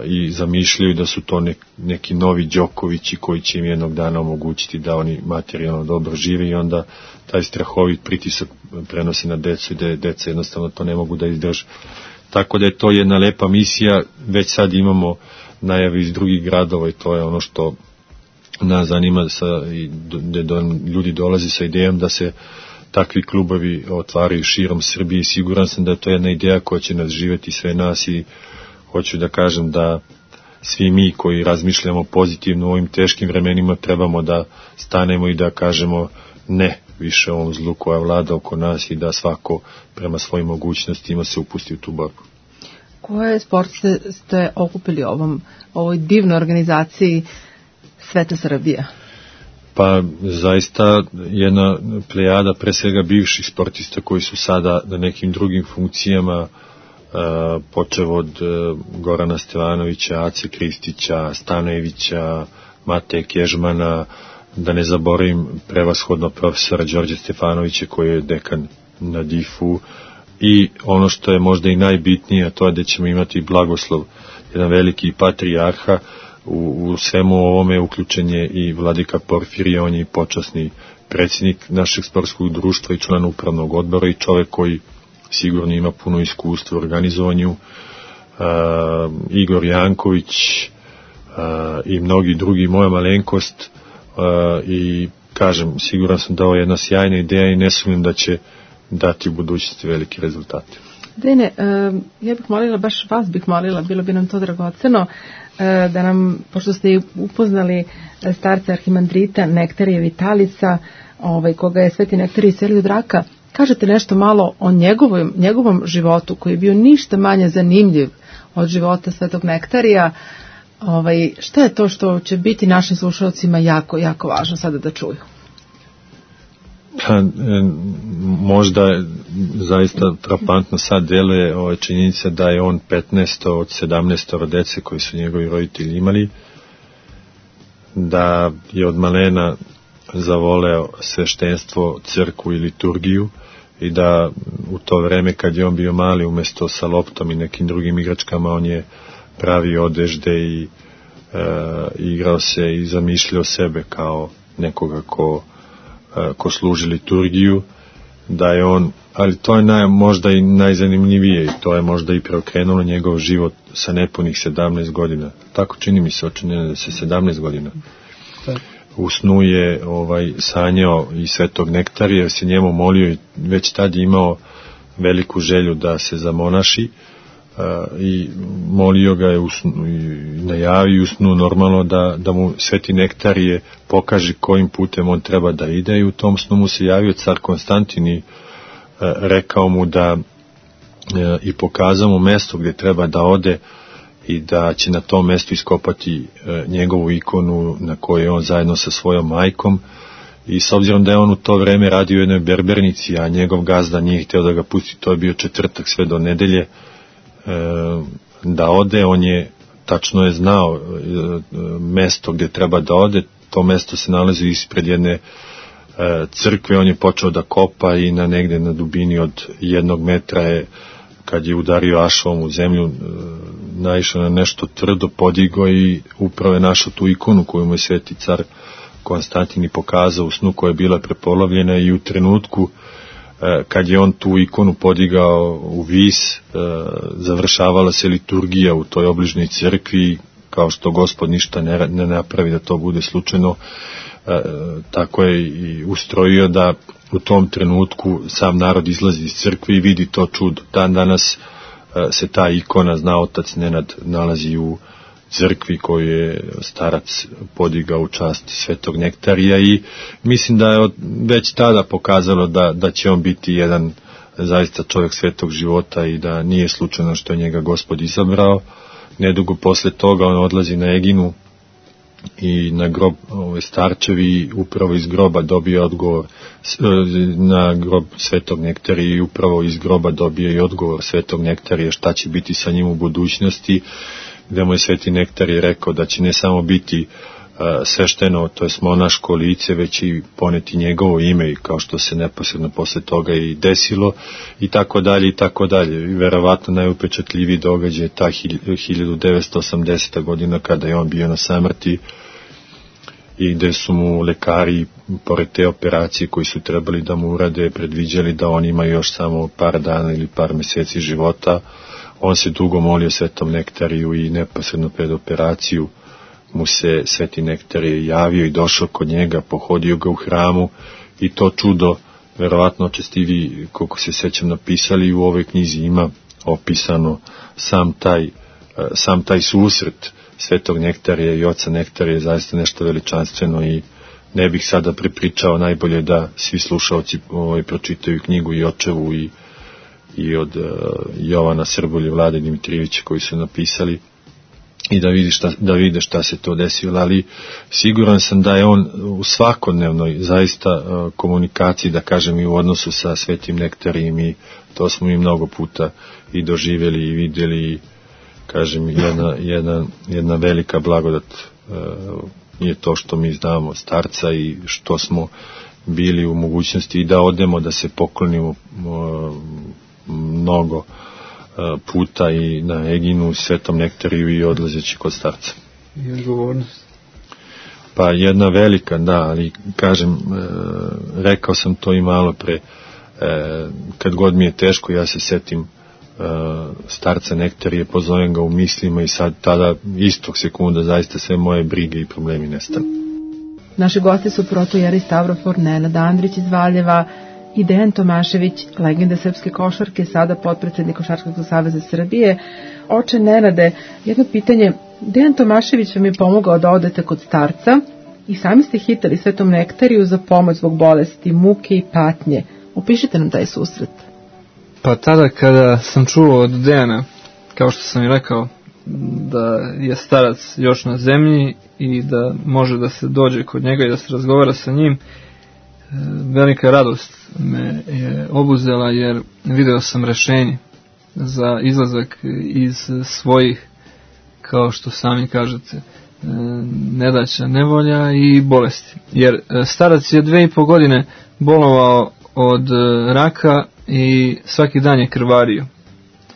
i zamišljaju da su to neki novi Đokovići koji će im jednog dana omogućiti da oni materijalno dobro žive i onda taj strahovit pritisak prenosi na decu i da deca jednostavno to ne mogu da izdrže. Tako da je to jedna lepa misija, već sad imamo najave iz drugih gradova i to je ono što nas zanima, gde ljudi dolazi sa idejom da se takvi klubovi otvaraju širom Srbije i siguran sam da je to jedna ideja koja će nas živjeti sve nas i hoću da kažem da svi mi koji razmišljamo pozitivno u ovim teškim vremenima trebamo da stanemo i da kažemo ne više ovom zlu koja vlada oko nas i da svako prema svojim mogućnostima se upusti u tu borbu. Koje sportiste ste okupili ovoj divnoj organizaciji Sveta Srbija? Pa zaista jedna plejada pre svega bivših sportista koji su sada na nekim drugim funkcijama, počev od Gorana Stevanovića, Ace Kristića, Stanojevića, Mateje Kežmana, da ne zaboravim prevashodno profesora Đorđe Stefanovića koji je dekan na DIF-u i ono što je možda i najbitnije, to je da ćemo imati blagoslov, jedan veliki patrijarha. U svemu ovome uključen je i vladika Porfirije, on je počasni predsjednik našeg sportskog društva i član upravnog odbora i čovek koji sigurno ima puno iskustva u organizovanju, Igor Janković i mnogi drugi, moja malenkost, i kažem, siguran sam da ovo je jedna sjajna ideja i ne sumnjam da će dati u budućnosti velike rezultate. Dene, ja bih molila, baš vas bih molila, bilo bi nam to dragoceno, da nam, pošto ste upoznali starca arhimandrita Nektarija Vitalica, koga je Sveti Nektarij iselio od raka, kažete nešto malo o njegovom životu, koji je bio ništa manje zanimljiv od života Svetog Nektarija. Šta je to što će biti našim slušalcima jako, jako važno sada da čuju? Možda zaista frapantno sad deluje činjenica da je on 15 od 17 dece koji su njegovi roditelji imali, da je od malena zavoleo sveštenstvo, crkvu i liturgiju i da u to vreme kad je on bio mali, umesto sa loptom i nekim drugim igračkama, on je pravio odežde i igrao se i zamišljao sebe kao nekoga ko služi liturgiju, da je on, ali to je možda i najzanimljivije i to je možda i preokrenulo njegov život sa nepunih 17 godina. Tako čini mi se, očinjeno da se 17 godina. U snu je sanjao i Svetog Nektarija, jer se njemu molio i već tad je imao veliku želju da se zamonaši i molio ga je i najavio u snu normalno da mu Sveti Nektarije pokaže kojim putem on treba da ide i u tom snu mu se javio car Konstantin i rekao mu da i pokazao mu mesto gdje treba da ode i da će na tom mestu iskopati njegovu ikonu na kojoj je on zajedno sa svojom majkom i s obzirom da je on u to vreme radio u jednoj berbernici, a njegov gazda nije htio da ga pusti, to je bio četvrtak sve do nedelje, da ode, on je tačno je znao mesto gdje treba da ode, to mesto se nalazi ispred jedne crkve, on je počeo da kopa i negde na dubini od 1 metra je, kad je udario ašovom u zemlju, naišao na nešto tvrdo, podigao i upravo je našao tu ikonu koju mu je Sveti car Konstantin i pokazao u snu, koja je bila prepolovljena i u trenutku kad je on tu ikonu podigao u vis, završavala se liturgija u toj obližnjoj crkvi, kao što Gospod ništa ne napravi da to bude slučajno, tako je i ustrojio da u tom trenutku sam narod izlazi iz crkve i vidi to čudo. Dan danas se ta ikona, zna otac Nenad, nalazi u crkvi koju je starac podigao u čast Svetog Nektarija i mislim da je već tada pokazalo da će on biti jedan zaista čovjek svetog života i da nije slučajno što je njega Gospod izabrao. Nedugo posle toga on odlazi na Eginu i na grob starčevi, upravo iz groba dobije odgovor na grob Svetog Nektarija i upravo iz groba dobije i odgovor Svetog Nektarija šta će biti sa njim u budućnosti, gde mu je Sveti Nektarij rekao da će ne samo biti svešteno, to je monaško lice, već i poneti njegovo ime, kao što se neposredno posle toga i desilo, i tako dalje, i tako dalje. Verovatno najupečatljiviji događaj je ta 1980. godina kada je on bio na samrti i gde su mu lekari, pored te operacije koji su trebali da mu urade, predviđali da on ima još samo par dana ili par meseci života. On se dugo molio Svetom Nektariju i neposredno pred operaciju mu se Sveti Nektarije javio i došao kod njega, pohodio ga u hramu, i to čudo, verovatno očesti vi, koliko se sećam, napisali, u ovoj knjizi ima opisano sam taj susret Svetog Nektarija i oca Nektarija je zaista nešto veličanstveno, i ne bih sada prepričao, najbolje da svi slušaoci pročitaju knjigu i očevu i od Jovana Srbulje, Vlade Dimitrijevića, koji su napisali, i da vide šta se to desilo. Ali siguran sam da je on u svakodnevnoj zaista komunikaciji, da kažem, i u odnosu sa Svetim Nektarijem, i to smo i mnogo puta i doživjeli i vidjeli. Kažem, jedna velika blagodat je to što mi znamo starca i što smo bili u mogućnosti i da odemo da se poklonimo mnogo puta i na Eginu, Svetom Nektariju i odlazeći kod starca. I odgovornost. Pa jedna velika, da, ali kažem, rekao sam to i malo pre, kad god mi je teško, ja se setim starca Nektarije, pozovem ga u mislima i sad tada istog sekunda zaista sve moje brige i problemi nestanu. Naši gosti su protojeri Stavrofor Nenad Andrić iz Valjeva i Dejan Tomašević, legenda srpske košarke, sada potpredsednik Košarkaškog saveza Srbije. Oče Nenade, jedno pitanje. Dejan Tomašević vam je pomogao da odete kod starca i sami ste hitali Svetom Nektariju za pomoć zbog bolesti, muke i patnje. Opišite nam taj susret. Pa tada kada sam čuo od Dejana, kao što sam i rekao, da je starac još na zemlji i da može da se dođe kod njega i da se razgovara sa njim, velika radost me je obuzela, jer video sam rešenje za izlazak iz svojih, kao što sami kažete, nedaća, nevolja i bolesti. Jer starac je 2,5 godine bolovao od raka i svaki dan je krvario.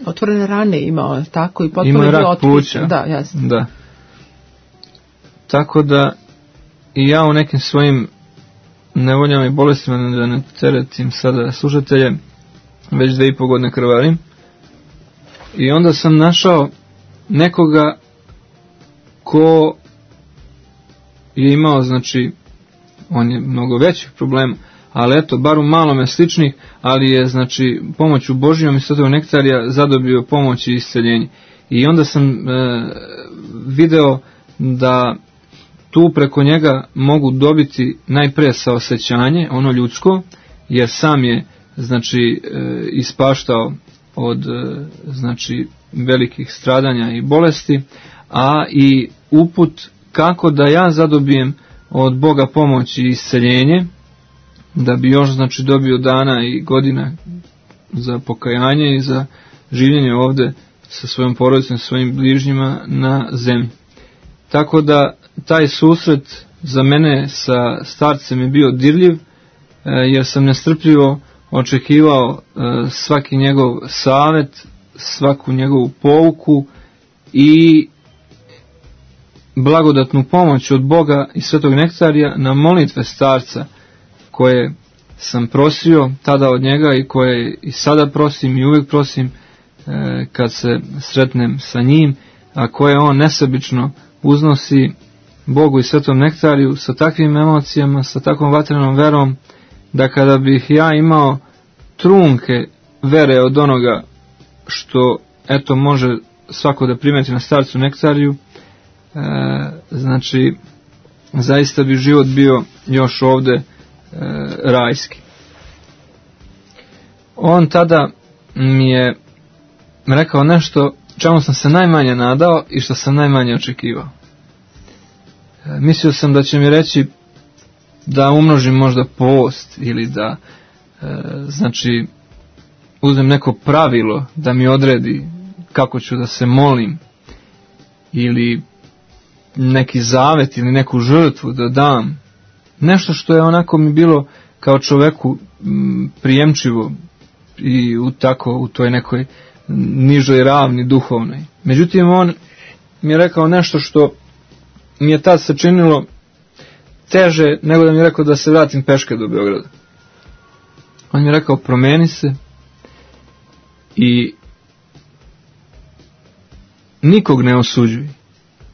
Otvorene rane imao, tako, i potpuno imao je bio rak pluća. Da, jasno. Da. Tako da i ja u nekim svojim nevoljama i bolestima, da ne teretim sada slušatelje, već 2,5 godine krvarim. I onda sam našao nekoga ko je imao, znači, on je mnogo većih problema, ali eto, bar u malome sličnih, ali je, znači, pomoću Božijom i Svetog Nektarija zadobio pomoć i isceljenje. I onda sam video da tu preko njega mogu dobiti najpre saosećanje, ono ljudsko, jer sam je, znači, ispaštao od, znači, velikih stradanja i bolesti, a i uput kako da ja zadobijem od Boga pomoć i isceljenje, da bi još, znači, dobio dana i godina za pokajanje i za življenje ovde sa svojom porodicom, sa svojim bližnjima na zemlji. Tako da taj susret za mene sa starcem je bio dirljiv, jer sam nestrpljivo očekivao svaki njegov savet, svaku njegovu pouku i blagodatnu pomoć od Boga i Svetog Nektarija na molitve starca, koje sam prosio tada od njega i koje i sada prosim i uvijek prosim kad se sretnem sa njim, a koje on nesebično uznosi Bogu i Svetom Nektariju sa takvim emocijama, sa takvom vatrenom verom, da kada bih ja imao trunke vere od onoga što eto može svako da primeti na starcu Nektariju, znači zaista bi život bio još ovde rajski. On tada mi je rekao nešto čemu sam se najmanje nadao i što sam najmanje očekivao. Mislio sam da će mi reći da umnožim možda post ili da znači uzmem neko pravilo da mi odredi kako ću da se molim ili neki zavet ili neku žrtvu da dam, nešto što je onako mi bilo kao čoveku prijemčivo i u toj nekoj nižoj ravni duhovnoj. Međutim, on mi je rekao nešto što mi je tad se činilo teže nego da mi je rekao da se vratim peške do Beograda. On mi je rekao, promeni se i nikog ne osuđuj,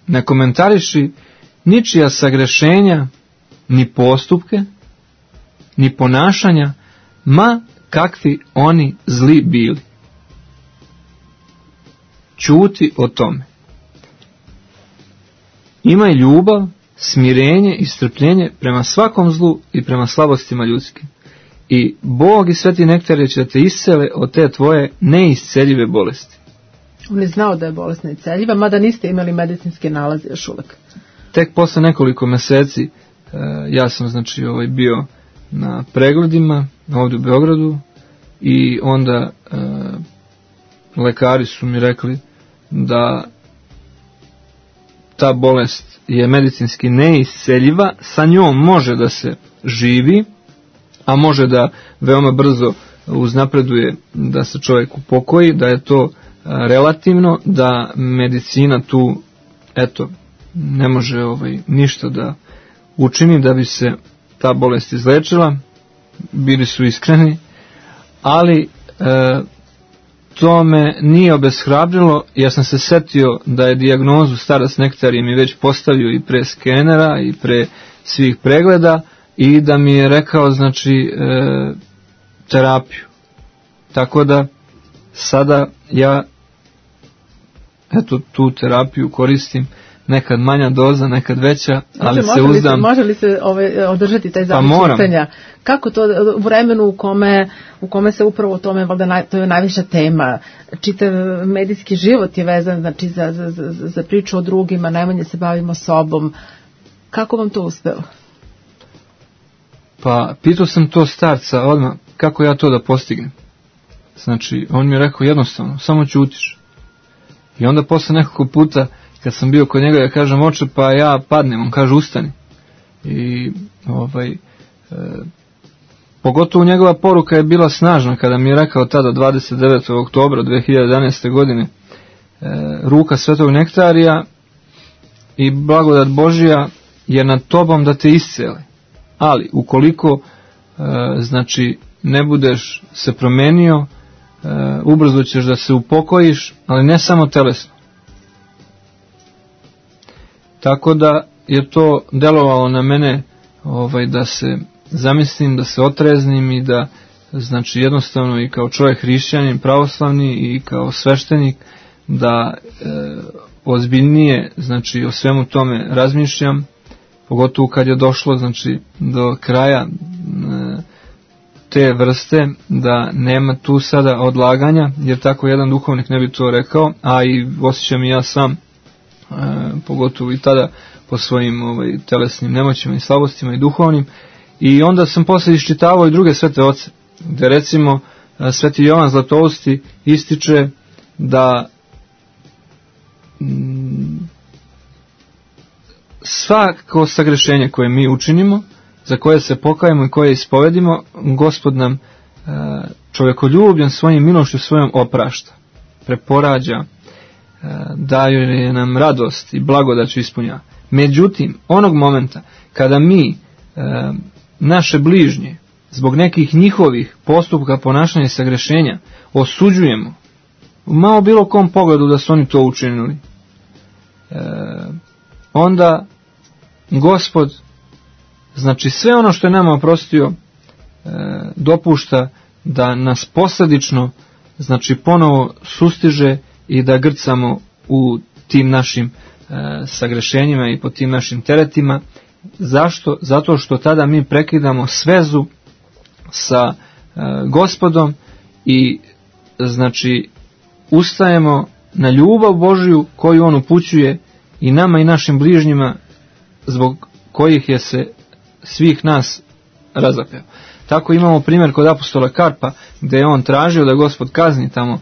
ne komentariši ničija sagrešenja, ni postupke, ni ponašanja, ma kakvi oni zli bili. Ćuti o tome. Imaj ljubav, smirenje i strpljenje prema svakom zlu i prema slabostima ljudskim. I Bog i Sveti Nektarije će da te iscele od te tvoje neisceljive bolesti. On je znao da je bolest neisceljiva, mada niste imali medicinske nalaze još uvek. Tek posle nekoliko meseci ja sam znači bio na pregledima ovdje u Beogradu i onda lekari su mi rekli da ta bolest je medicinski neisceljiva, sa njom može da se živi, a može da veoma brzo uznapreduje da se čovjek upokoji, da je to relativno, da medicina tu ne može ništa da učini da bi se ta bolest izlečila. Bili su iskreni, ali to me nije obeshrabrilo. Ja sam se setio da je dijagnozu starac Nektarije mi već postavio i pre skenera i pre svih pregleda i da mi je rekao terapiju. Tako da sada ja tu terapiju koristim, nekad manja doza, nekad veća, ali se uzdam. Može li se održati taj zapis čitanja? Kako to u vremenu u kome se upravo o tome, valjda to je najviša tema, čitav medijski život je vezan za priču o drugima, najmanje se bavimo sobom. Kako vam to uspelo? Pa pitao sam to starca odmah, kako ja to da postignem. Znači, on mi je rekao jednostavno, samo ćutiš. I onda posle nekoliko puta kad sam bio kod njega, ja kažem, oče, pa ja padnem, on kaže, ustani. I pogotovo njegova poruka je bila snažna kada mi je rekao tada 29. oktobra 2011. godine ruka Svetog Nektarija i blagodat Božija je nad tobom da te iscele. Ali ukoliko ne budeš se promenio, ubrzo ćeš da se upokojiš, ali ne samo telesno. Tako da je to delovalo na mene da se zamislim, da se otreznim i da jednostavno i kao čovjek hrišćanin, pravoslavni i kao sveštenik da ozbiljnije o svemu tome razmišljam, pogotovo kad je došlo do kraja te vrste, da nema tu sada odlaganja, jer tako jedan duhovnik ne bi to rekao, a i osjećam i ja sam, pogotovo i tada po svojim telesnim nemoćima i slabostima i duhovnim. I onda sam posle iščitavao i druge svete oce, gde recimo Sveti Jovan Zlatousti ističe da svako sagrešenje koje mi učinimo, za koje se pokajemo i koje ispovedimo, Gospod nam čovjekoljubljen svojim milošću svojom oprašta, preporađa, daje nam radost i blagodat ispunja. Međutim, onog momenta kada mi naše bližnje zbog nekih njihovih postupka, ponašanja i sagrešenja osuđujemo, u malo bilo kom pogledu da su oni to učinili, onda Gospod sve ono što je nama oprostio dopušta da nas posledično ponovo sustiže i da grcamo u tim našim sagrešenjima i po tim našim teretima. Zašto? Zato što tada mi prekidamo svezu sa Gospodom i ustajemo na ljubav Božju koju on upućuje i nama i našim bližnjima, zbog kojih je se svih nas razapeo. Tako imamo primjer kod apostola Karpa, gdje je on tražio da Gospod kazni tamo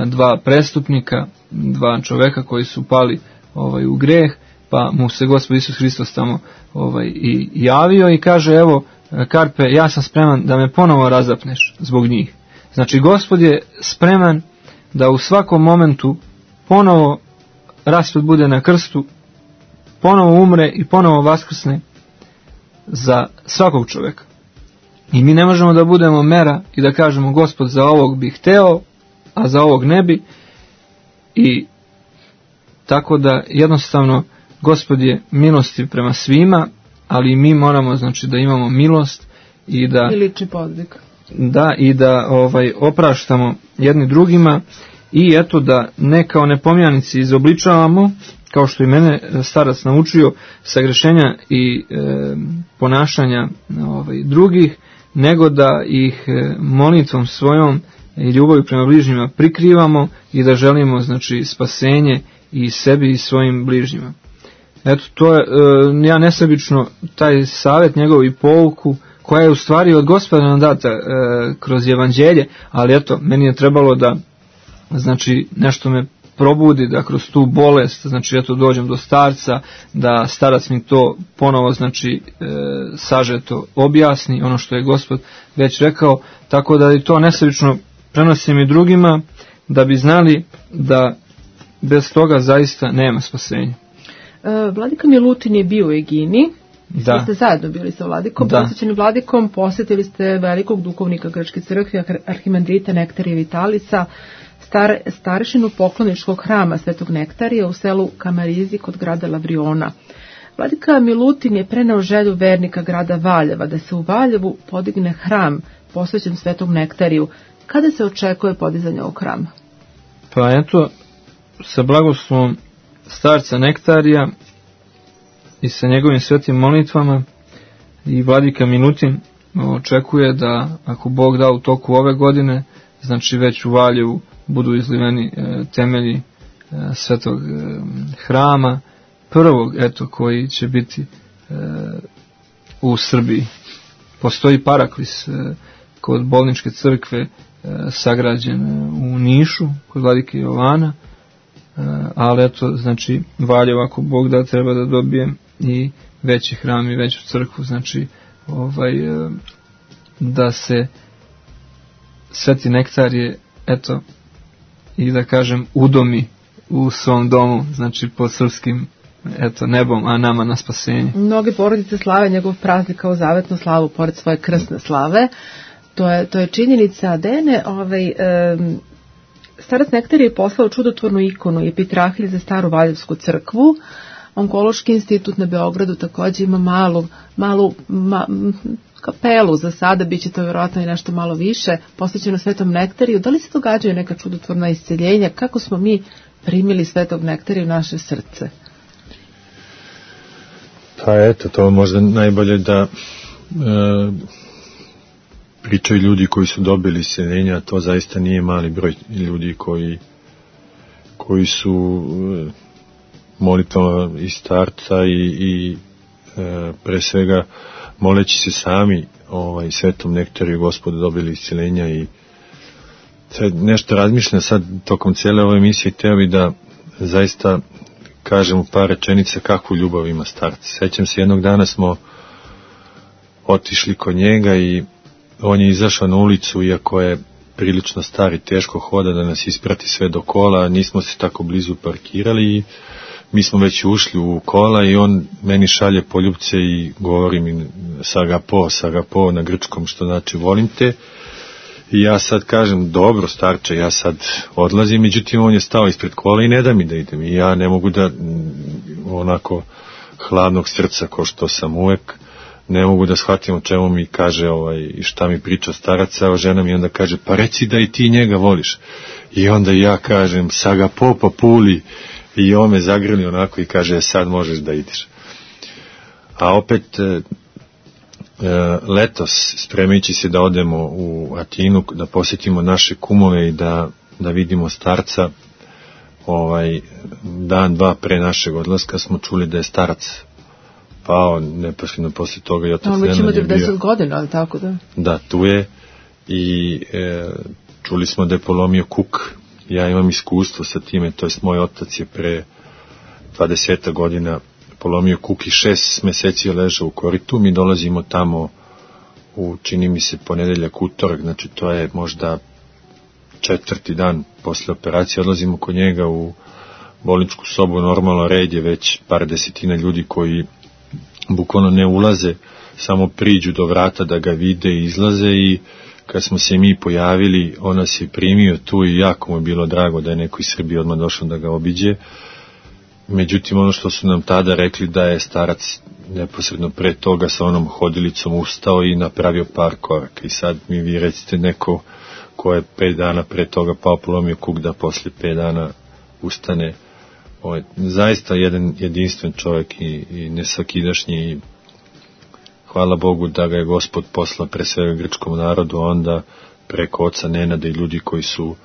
dva prestupnika, dva čoveka koji su pali u greh, pa mu se Gospod Isus Hristos tamo i javio i kaže, evo Karpe, ja sam spreman da me ponovo razapneš zbog njih. Znači Gospod je spreman da u svakom momentu ponovo raspet bude na krstu, ponovo umre i ponovo vaskrsne za svakog čovjeka. I mi ne možemo da budemo mera i da kažemo, Gospod za ovog bi hteo, a za ovog ne bi. I tako da jednostavno Gospod je milostiv prema svima, ali mi moramo, znači, da imamo milost i da i lični podvig. Da, i da opraštamo jedni drugima i eto da ne kao nepomjanici izobličavamo, kao što i mene starac naučio, sagrešenja i ponašanja drugih, nego da ih molitvom svojom i ljubavi prema bližnjima prikrivamo i da želimo, znači, spasenje i sebi i svojim bližnjima. Eto, to je, ja nesebično taj savjet njegov i pouku, koja je u stvari od Gospoda nam data kroz evanđelje, ali eto, meni je trebalo da, znači, nešto me probudi, da kroz tu bolest, znači, eto, dođem do starca, da starac mi to ponovo, znači, sažeto objasni, ono što je Gospod već rekao, tako da i to nesebično prenosim i drugima, da bi znali da bez toga zaista nema spasenja. Vladika Milutin je bio u Egini. Da. Vi ste zajedno bili sa Vladikom, posjećeni Vladikom, posjetili ste velikog duhovnika Grčke crkve, arhimandrita Nektarija Vitalisa, starešinu pokloničkog hrama Svetog Nektarija u selu Kamarizi kod grada Lavriona. Vladika Milutin je preneo želju vernika grada Valjeva da se u Valjevu podigne hram posvećen Svetog Nektariju. Kada se očekuje podizanje ovog hrama? Pa eto, sa blagoslovom starca Nektarija i sa njegovim svetim molitvama i Vladika Milutin očekuje da, ako Bog da, u toku ove godine, znači već u Valjevu budu izliveni temelji svetog hrama, prvog, eto, koji će biti u Srbiji. Postoji paraklis kod Bolničke crkve sagrađen u Nišu, kod Vladike Jovana, ali eto, znači, Valjevo, ako Bog da, treba da dobije i veći hram i veću crkvu, znači, da se Sveti Nektarije, eto, i da kažem, udomi u svom domu, znači, pod srpskim, eto, nebom, a nama na spasenje. Mnoge porodice slave njegov praznik kao zavetnu slavu, pored svoje krsne slave. To je činjenica. Dene, starac Nektarije je poslao čudotvornu ikonu i epitrahilj za staru Valjevsku crkvu. Onkološki institut na Beogradu također ima malu kapelu za sada, bit će to vjerojatno i nešto malo više, posvećeno Svetom Nektariju. Da li se događaju neka čudotvorna isceljenja? Kako smo mi primili Svetog Nektarija u naše srce? Pa eto, to možda najbolje da pričaju ljudi koji su dobili isceljenja, to zaista nije mali broj ljudi koji su molitvama i starca i pre svega moleći se sami Svetom Nektariju Gospodu dobili isceljenja. I sad nešto razmišljam sad tokom cijele ove emisije, hteo bi da zaista kažem u par rečenica kakvu ljubav ima starac. Sećam se, jednog dana smo otišli kod njega i on je izašao na ulicu, iako je prilično star i teško hoda, da nas isprati sve do kola, nismo se tako blizu parkirali i mi smo već ušli u kola i on meni šalje poljupce i govori mi sagapo na grčkom, što znači volim te. I ja sad kažem, dobro starče, ja sad odlazim, međutim on je stao ispred kola i ne da mi da idem. I ja ne mogu da, onako hladnog srca ko što sam uvek, ne mogu da shvatim o čemu mi kaže i šta mi priča starac, a žena mi onda kaže, pa reci da i ti njega voliš. I onda ja kažem, sagapo papuli, i on me zagrli onako i kaže, sad možeš da ideš. A opet letos, spremajući se da odemo u Atinu, da posjetimo naše kumove i da vidimo starca, dan, dva pre našeg odlaska smo čuli da je starac pao neposredno posle toga i otac Nenad je bio. Već ima 90 godina, ali tako da? Da, tu je i čuli smo da je polomio kuk. Ja imam iskustvo sa time, to jest moj otac je pre 20 godina polomio kuk i 6 meseci je ležao u koritu. Mi dolazimo tamo u, čini mi se, ponedeljak, utorak, znači to je možda 4. dan posle operacije, odlazimo kod njega u bolničku sobu, normalno red je već par desetina ljudi koji bukvalno ne ulaze, samo priđu do vrata da ga vide i izlaze, i kad smo se mi pojavili, on nas je primio tu i jako mu je bilo drago da je neko iz Srbije odmah došao da ga obiđe. Međutim, ono što su nam tada rekli, da je starac neposredno pre toga sa onom hodilicom ustao i napravio par koraka, i sad mi vi recite neko ko je 5 dana pre toga pao, polomio kuk, da posle 5 dana ustane. Ovo je zaista jedan jedinstven čovjek i nesvakidašnji, i hvala Bogu da ga je Gospod poslao pre svega grčkom narodu, onda preko oca Nenada i ljudi koji su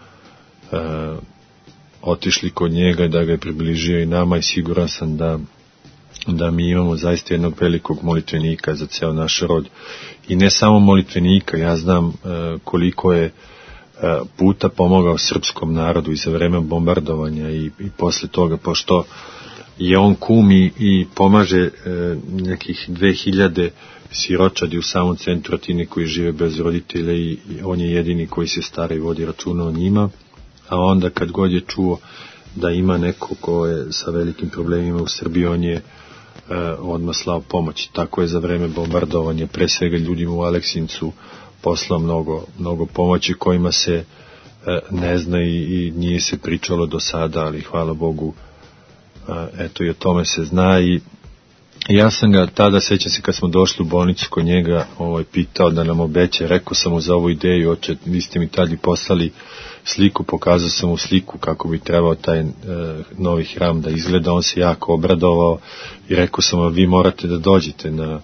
otišli kod njega, da ga je približio i nama, i siguran sam da mi imamo zaista jednog velikog molitvenika za ceo naš rod. I ne samo molitvenika, ja znam koliko je puta pomogao srpskom narodu i za vreme bombardovanja i posle toga, pošto je on kum i pomaže nekih 2000 siročadi u samom centru Atine koji žive bez roditelja, i on je jedini koji se stara i vodi računa o njima. A onda kad god je čuo da ima neko ko je sa velikim problemima u Srbiji, on je odmah slao pomoć. Tako je za vreme bombardovanja pre svega ljudima u Aleksincu poslao mnogo pomoći kojima se ne zna i nije se pričalo do sada, ali hvala Bogu, eto, i o tome se zna. I ja sam ga tada, sećam se kad smo došli u bolnicu kod njega, pitao da nam obeća, rekao sam mu za ovu ideju, oče, vi ste mi tada poslali sliku, pokazao sam mu sliku kako bi trebao taj novi hram da izgleda, on se jako obradovao i rekao sam, vi morate da dođete na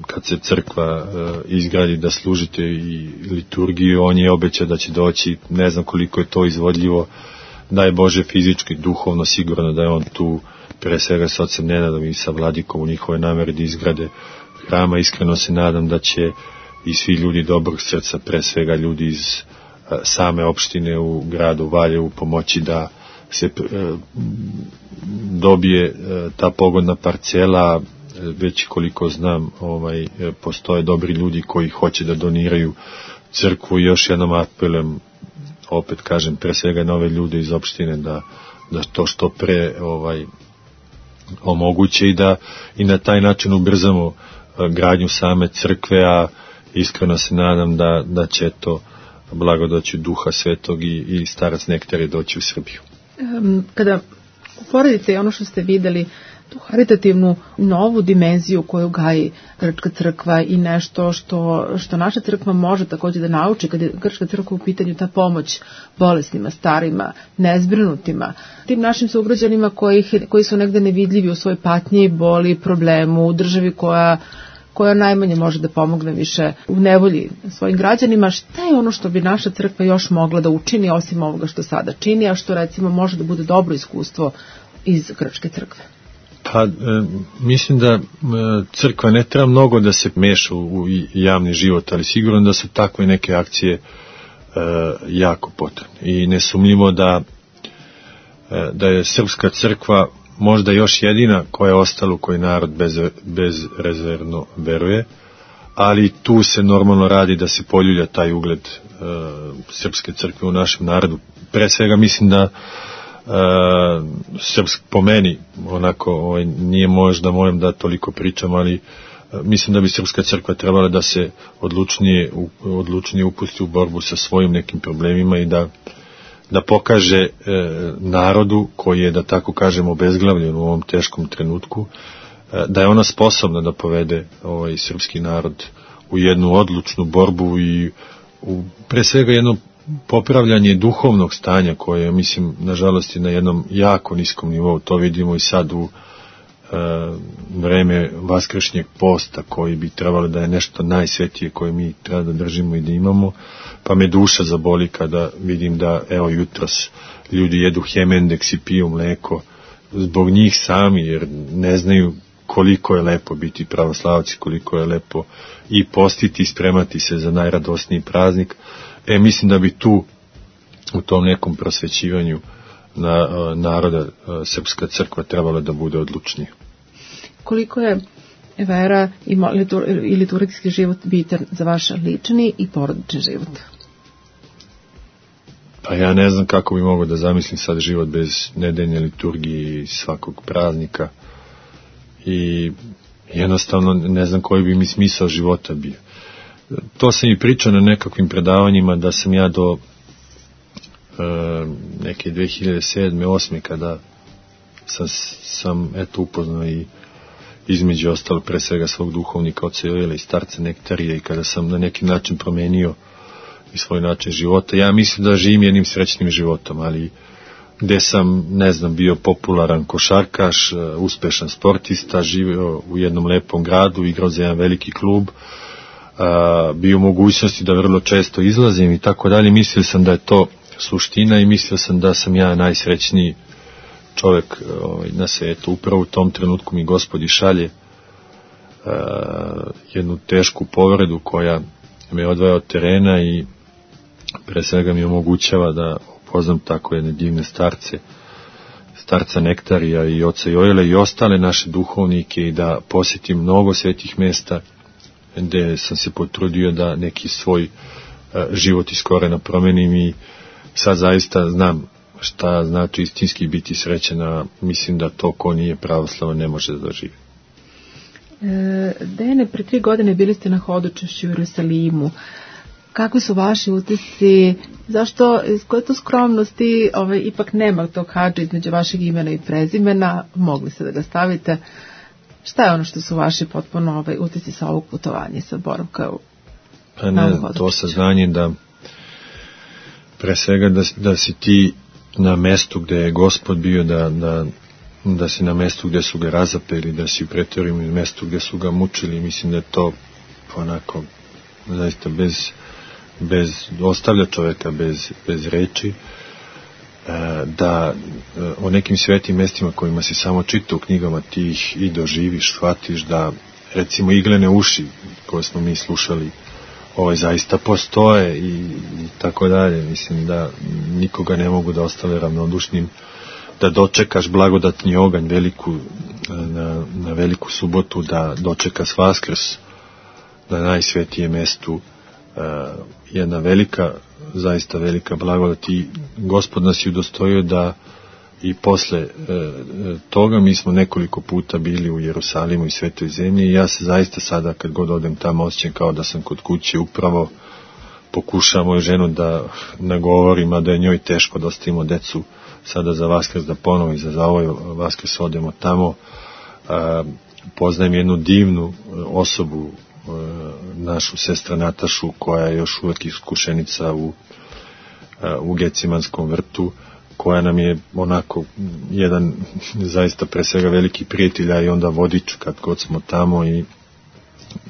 kad se crkva izgradi da služite i liturgiju. On je obećao da će doći, ne znam koliko je to izvodljivo, da je Bože fizički, duhovno, sigurno da je on tu pre svega sa ocem Nenadom i sa vladikom u njihove namere da izgrade hrama. Iskreno se nadam da će i svi ljudi dobrog srca, pre svega ljudi iz same opštine u gradu Valjevu, pomoći da se dobije ta pogodna parcela. Već koliko znam, postoje dobri ljudi koji hoće da doniraju crkvu. Još jednom apelujem, opet kažem, pre svega na ove ljude iz opštine da to što pre omoguće i na taj način ubrzamo gradnju same crkve, a iskreno se nadam da će to blagodaću Duha Svetog i starac Nektarije doći u Srbiju. Kada uporedite ono što ste videli, tu haritativnu novu dimenziju koju gaji Grčka crkva i nešto što naša crkva može također da nauči kad je Grčka crkva u pitanju, ta pomoć bolesnima, starima, nezbrinutima, tim našim sugrađanima koji su negde nevidljivi u svojoj patnji, boli, problemu, u državi koja najmanje može da pomogne više u nevolji svojim građanima. Šta je ono što bi naša crkva još mogla da učini osim ovoga što sada čini, a što recimo može da bude dobro iskustvo iz Grčke crkve? Pa, mislim da crkva ne treba mnogo da se meša u javni život, ali sigurno da su takve neke akcije jako potrebne. I nesumnjivo da je srpska crkva možda još jedina koja je ostala u kojoj narod bezrezervno veruje, ali tu se normalno radi da se poljulja taj ugled srpske crkve u našem narodu. Pre svega mislim da po meni, onako, nije možda mojem da toliko pričam, ali mislim da bi srpska crkva trebala da se odlučnije upusti u borbu sa svojim nekim problemima i da pokaže narodu koji je, da tako kažemo, obezglavljen u ovom teškom trenutku, da je ona sposobna da povede srpski narod u jednu odlučnu borbu i pre svega jedno popravljanje duhovnog stanja koje, mislim, nažalost je na jednom jako niskom nivou. To vidimo i sad u vreme vaskršnjeg posta koji bi trebalo da je nešto najsvetije koje mi treba da držimo i da imamo, pa me duša zaboli kada vidim da, evo, jutros ljudi jedu hemendeks i piju mleko zbog njih sami, jer ne znaju koliko je lepo biti pravoslavac, koliko je lepo i postiti i spremati se za najradosniji praznik. Mislim da bi tu u tom nekom prosvećivanju naroda Srpska crkva trebala da bude odlučnija. Koliko je vera i liturgijski život bitan za vaš lični i porodični život? Pa ja ne znam kako bi mogao da zamislim sad život bez nedeljne liturgije i svakog praznika i jednostavno ne znam koji bi mi smisao života bio. To sam i pričao na nekakvim predavanjima da sam ja do neke 2007. 2008. kada sam eto upoznao i između ostalo pre svega svog duhovnika oca Jovila i starca Nektarija i kada sam na neki način promenio i svoj način života. Ja mislim da živim jednim srećnim životom, ali gde sam, ne znam, bio popularan košarkaš, uspešan sportista, živio u jednom lepom gradu, igrao za jedan veliki klub, bio u mogućnosti da vrlo često izlazim i tako dalje. Mislio sam da je to suština i mislio sam da sam ja najsrećniji čovek na svetu. Upravo u tom trenutku mi Gospod šalje jednu tešku povredu koja me odvaja od terena i pre svega mi omogućava da upoznam tako jedne divne starca Nektarija i oca Jojela i ostale naše duhovnike i da posjetim mnogo svetih mesta gde sam se potrudio da neki svoj život iz korena promenim i sad zaista znam šta znači istinski biti srećan, a mislim da to ko nije pravoslavan ne može da doživi. Dejane, pre 3 godine bili ste na hodočašću u Jerusalimu. Kakvi su vaši utisci? Zašto, iz koje to skromnosti ipak nema tog hadža između vašeg imena i prezimena? Mogli ste da ga stavite. Šta je ono što su vaši potpuno utisci sa ovog putovanja, sa boravka u hodočašću? To saznanje da pre svega da si ti na mestu gde je Gospod bio, da si na mestu gde su ga razapeli, da si u pretoriju na mestu gde su ga mučili. Mislim da je to onako zaista bez ostavlja čoveka bez reči, da o nekim svetim mestima kojima si samo čitao u knjigama ti ih i doživiš, shvatiš da recimo iglene uši koje smo mi slušali zaista postoje i tako dalje. Mislim da nikoga ne mogu da ostave ravnodušnim, da dočekaš blagodatni oganj na veliku subotu, da dočekaš Vaskrs na najsvetijem mestu, jedna velika, zaista velika blagodat i Gospod nas je udostojio da i posle toga mi smo nekoliko puta bili u Jerusalimu i Svetoj zemlji i ja se zaista sada kad god odem tamo osjećam kao da sam kod kuće, upravo pokušam moju ženu da nagovorim, a da je njoj teško da ostavimo decu sada za Vaskrs, da ponovo i za ovaj Vaskrs odemo tamo. Poznajem jednu divnu osobu, našu sestra Natašu, koja je još uvek iskušenica u Gecimanskom vrtu, koja nam je onako jedan zaista pre svega veliki prijatelj, a i onda vodič kad god smo tamo i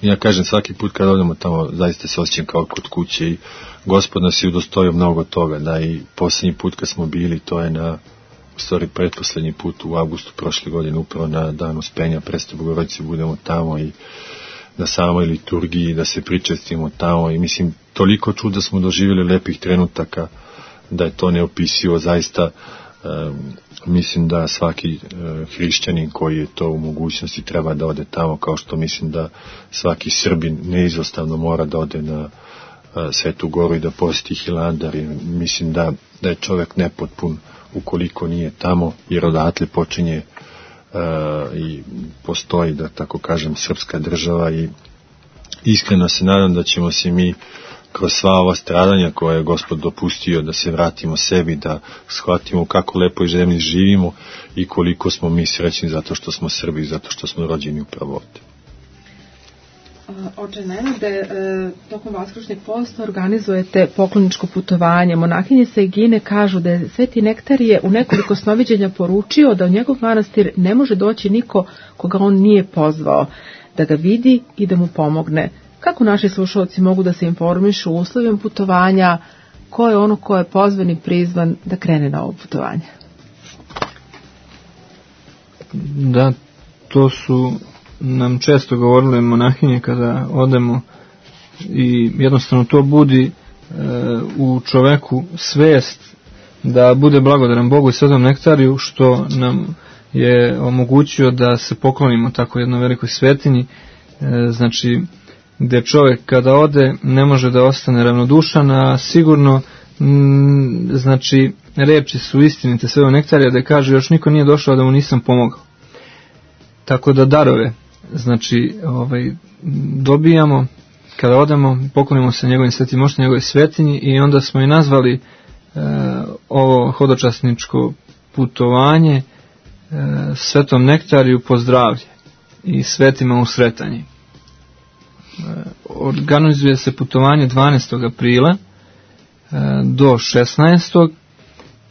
ja kažem svaki put kad odemo tamo zaista se osjećam kao kod kuće i Gospod nas je udostojio mnogo toga, da i posljednji put kad smo bili, to je u stvari pretposlednji put u avgustu prošle godine, upravo na dan Uspenja Presvete Bogorodice budemo tamo i na samoj liturgiji da se pričestimo tamo i mislim toliko čuda smo doživjeli, lepih trenutaka da je to neopisivo. Zaista mislim da svaki hrišćanin koji je to u mogućnosti treba da ode tamo, kao što mislim da svaki Srbin neizostavno mora da ode na Svetu Goru i da posjeti Hilandar. Mislim da je čovjek nepotpun ukoliko nije tamo, jer odatle počinje i postoji, da tako kažem, srpska država i iskreno se nadam da ćemo se mi kroz sva ova stradanja koje je Gospod dopustio da se vratimo sebi, da shvatimo kako lepo i zemlji živimo i koliko smo mi srećni zato što smo Srbi, zato što smo rođeni upravo ovde. Oče Nenade, tokom Vaskršnjeg posta organizujete pokloničko putovanje. Monahinje Segine kažu da je Sveti Nektarije u nekoliko snoviđenja poručio da u njegov manastir ne može doći niko koga on nije pozvao, da ga vidi i da mu pomogne. Kako naši slušalci mogu da se informišu o uslovima putovanja, ko je ono ko je pozvan i prizvan da krene na ovo putovanje? Da, to su nam često govorile monahinje kada odemo i jednostavno to budi u čoveku svest da bude blagodaran Bogu i Svetom nektariju što nam je omogućio da se poklonimo tako jednoj velikoj svetinji, znači gdje čovjek kada ode ne može da ostane ravnodušan, a sigurno znači reči su istinite Svetog nektarija da kaže još niko nije došao da mu nisam pomogao. Tako da darove znači dobijamo kada odemo, poklonimo se njegovim svetim moštima, njegove svetinji i onda smo i nazvali ovo hodočasničko putovanje Svetom nektariju pozdravlje i svetima u sretanji. Organizuje se putovanje 12. aprila do 16.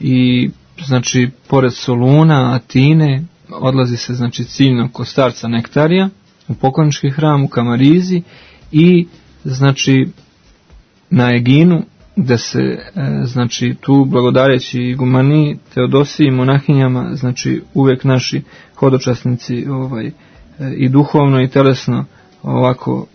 i znači pored Soluna, Atine odlazi se znači ciljno kod starca Nektarija u poklonički hram u Kamarizi i znači na Eginu gde se znači tu blagodareći igumani, Teodosiji i monahinjama znači uvek naši hodočasnici i duhovno i telesno ovako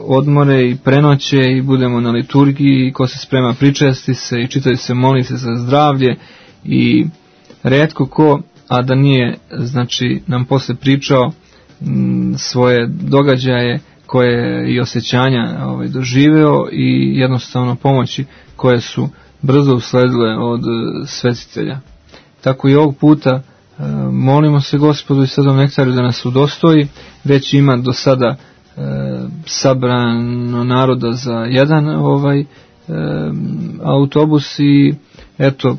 odmore i prenoće i budemo na liturgiji i ko se sprema pričesti se i čitaju se molitve za zdravlje i retko ko, a da nije znači nam posle pričao svoje događaje koje i osjećanja doživeo i jednostavno pomoći koje su brzo usledile od svetitelja. Tako i ovog puta molimo se Gospodu i Svetom nektariju da nas udostoji, već ima do sada sabrano naroda za jedan autobus i eto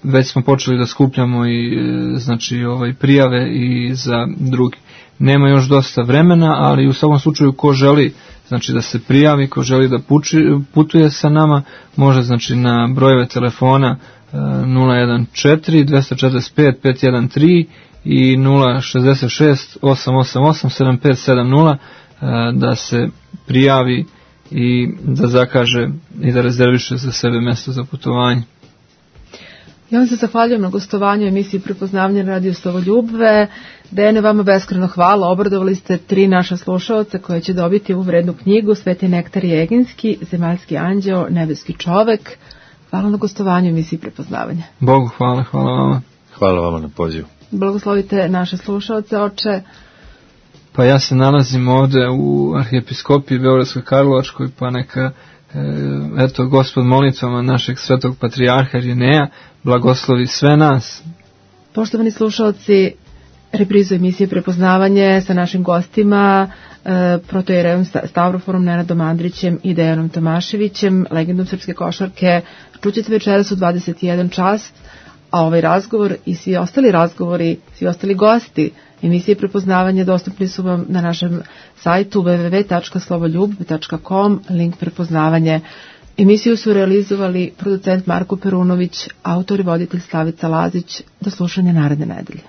već smo počeli da skupljamo i znači prijave i za drugi. Nema još dosta vremena, ali u svakom slučaju ko želi znači da se prijavi, ko želi da putuje sa nama, može znači na brojeve telefona 014 245 513 i 066 888 7570 da se prijavi i da zakaže i da rezerviše za sebe mjesto za putovanje. Ja vam se zahvaljujem na gostovanju emisiji Prepoznavanje na radiju Slovoljubve. Dejane, vama beskrajno hvala. Obradovali ste 3 naša slušaoca koje će dobiti ovu vrednu knjigu Sveti Nektarije Eginski, Zemaljski anđeo, Nebeski čovek. Hvala na gostovanju emisiji Prepoznavanje. Bogu hvala, hvala vama. Hvala vama na pozivu. Blagoslovite naše slušaoce, oče. Pa ja se nalazim ovde u arhijepiskopiji Beogradsko-Karlovačkoj, pa neka eto Gospod molitvama našeg svetog patrijarha Irineja blagoslovi sve nas. Poštovani slušalci, reprizu emisije Prepoznavanje sa našim gostima, protoijerejem Stavroforom Nenadom Andrićem i Dejanom Tomaševićem, legendom srpske košarke, čućete večeras u 21 čas, a ovaj razgovor i svi ostali razgovori, svi ostali gosti emisije Prepoznavanje dostupni su vam na našem sajtu www.slovoljub.com, link Prepoznavanje. Emisiju su realizovali producent Marko Perunović, autor i voditelj Slavica Lazić. Do slušanja naredne nedelje.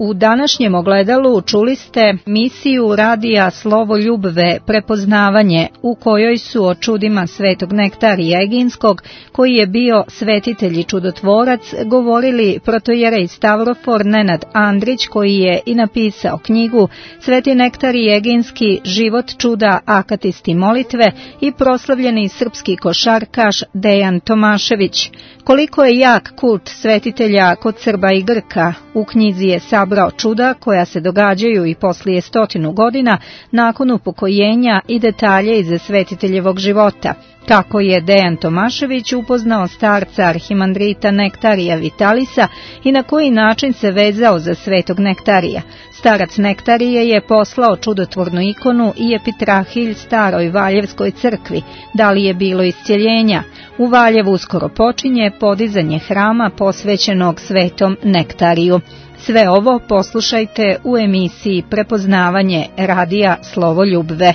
U današnjem ogledalu čuli ste misiju radija Slovoljubve Prepoznavanje, u kojoj su o čudima Svetog Nektarija Eginskog, koji je bio svetitelj i čudotvorac, govorili protoijerej Stavrofor Nenad Andrić, koji je i napisao knjigu Sveti Nektarij Eginski, život čuda, akatisti molitve, i proslavljeni srpski košarkaš Dejan Tomašević. Koliko je jak kult svetitelja kod Srba i Grka, u knjizi je sabrao čuda koja se događaju i poslije 100 godina nakon upokojenja i detalje iz svetiteljevog života. Kako je Dejan Tomašević upoznao starca arhimandrita Nektarija Vitalisa i na koji način se vezao za Svetog Nektarija. Starac Nektarije je poslao čudotvornu ikonu i epitrahilj staroj Valjevskoj crkvi. Da li je bilo iscjeljenja? U Valjevu uskoro počinje podizanje hrama posvećenog Svetom Nektariju. Sve ovo poslušajte u emisiji Prepoznavanje radija Slovoljubve.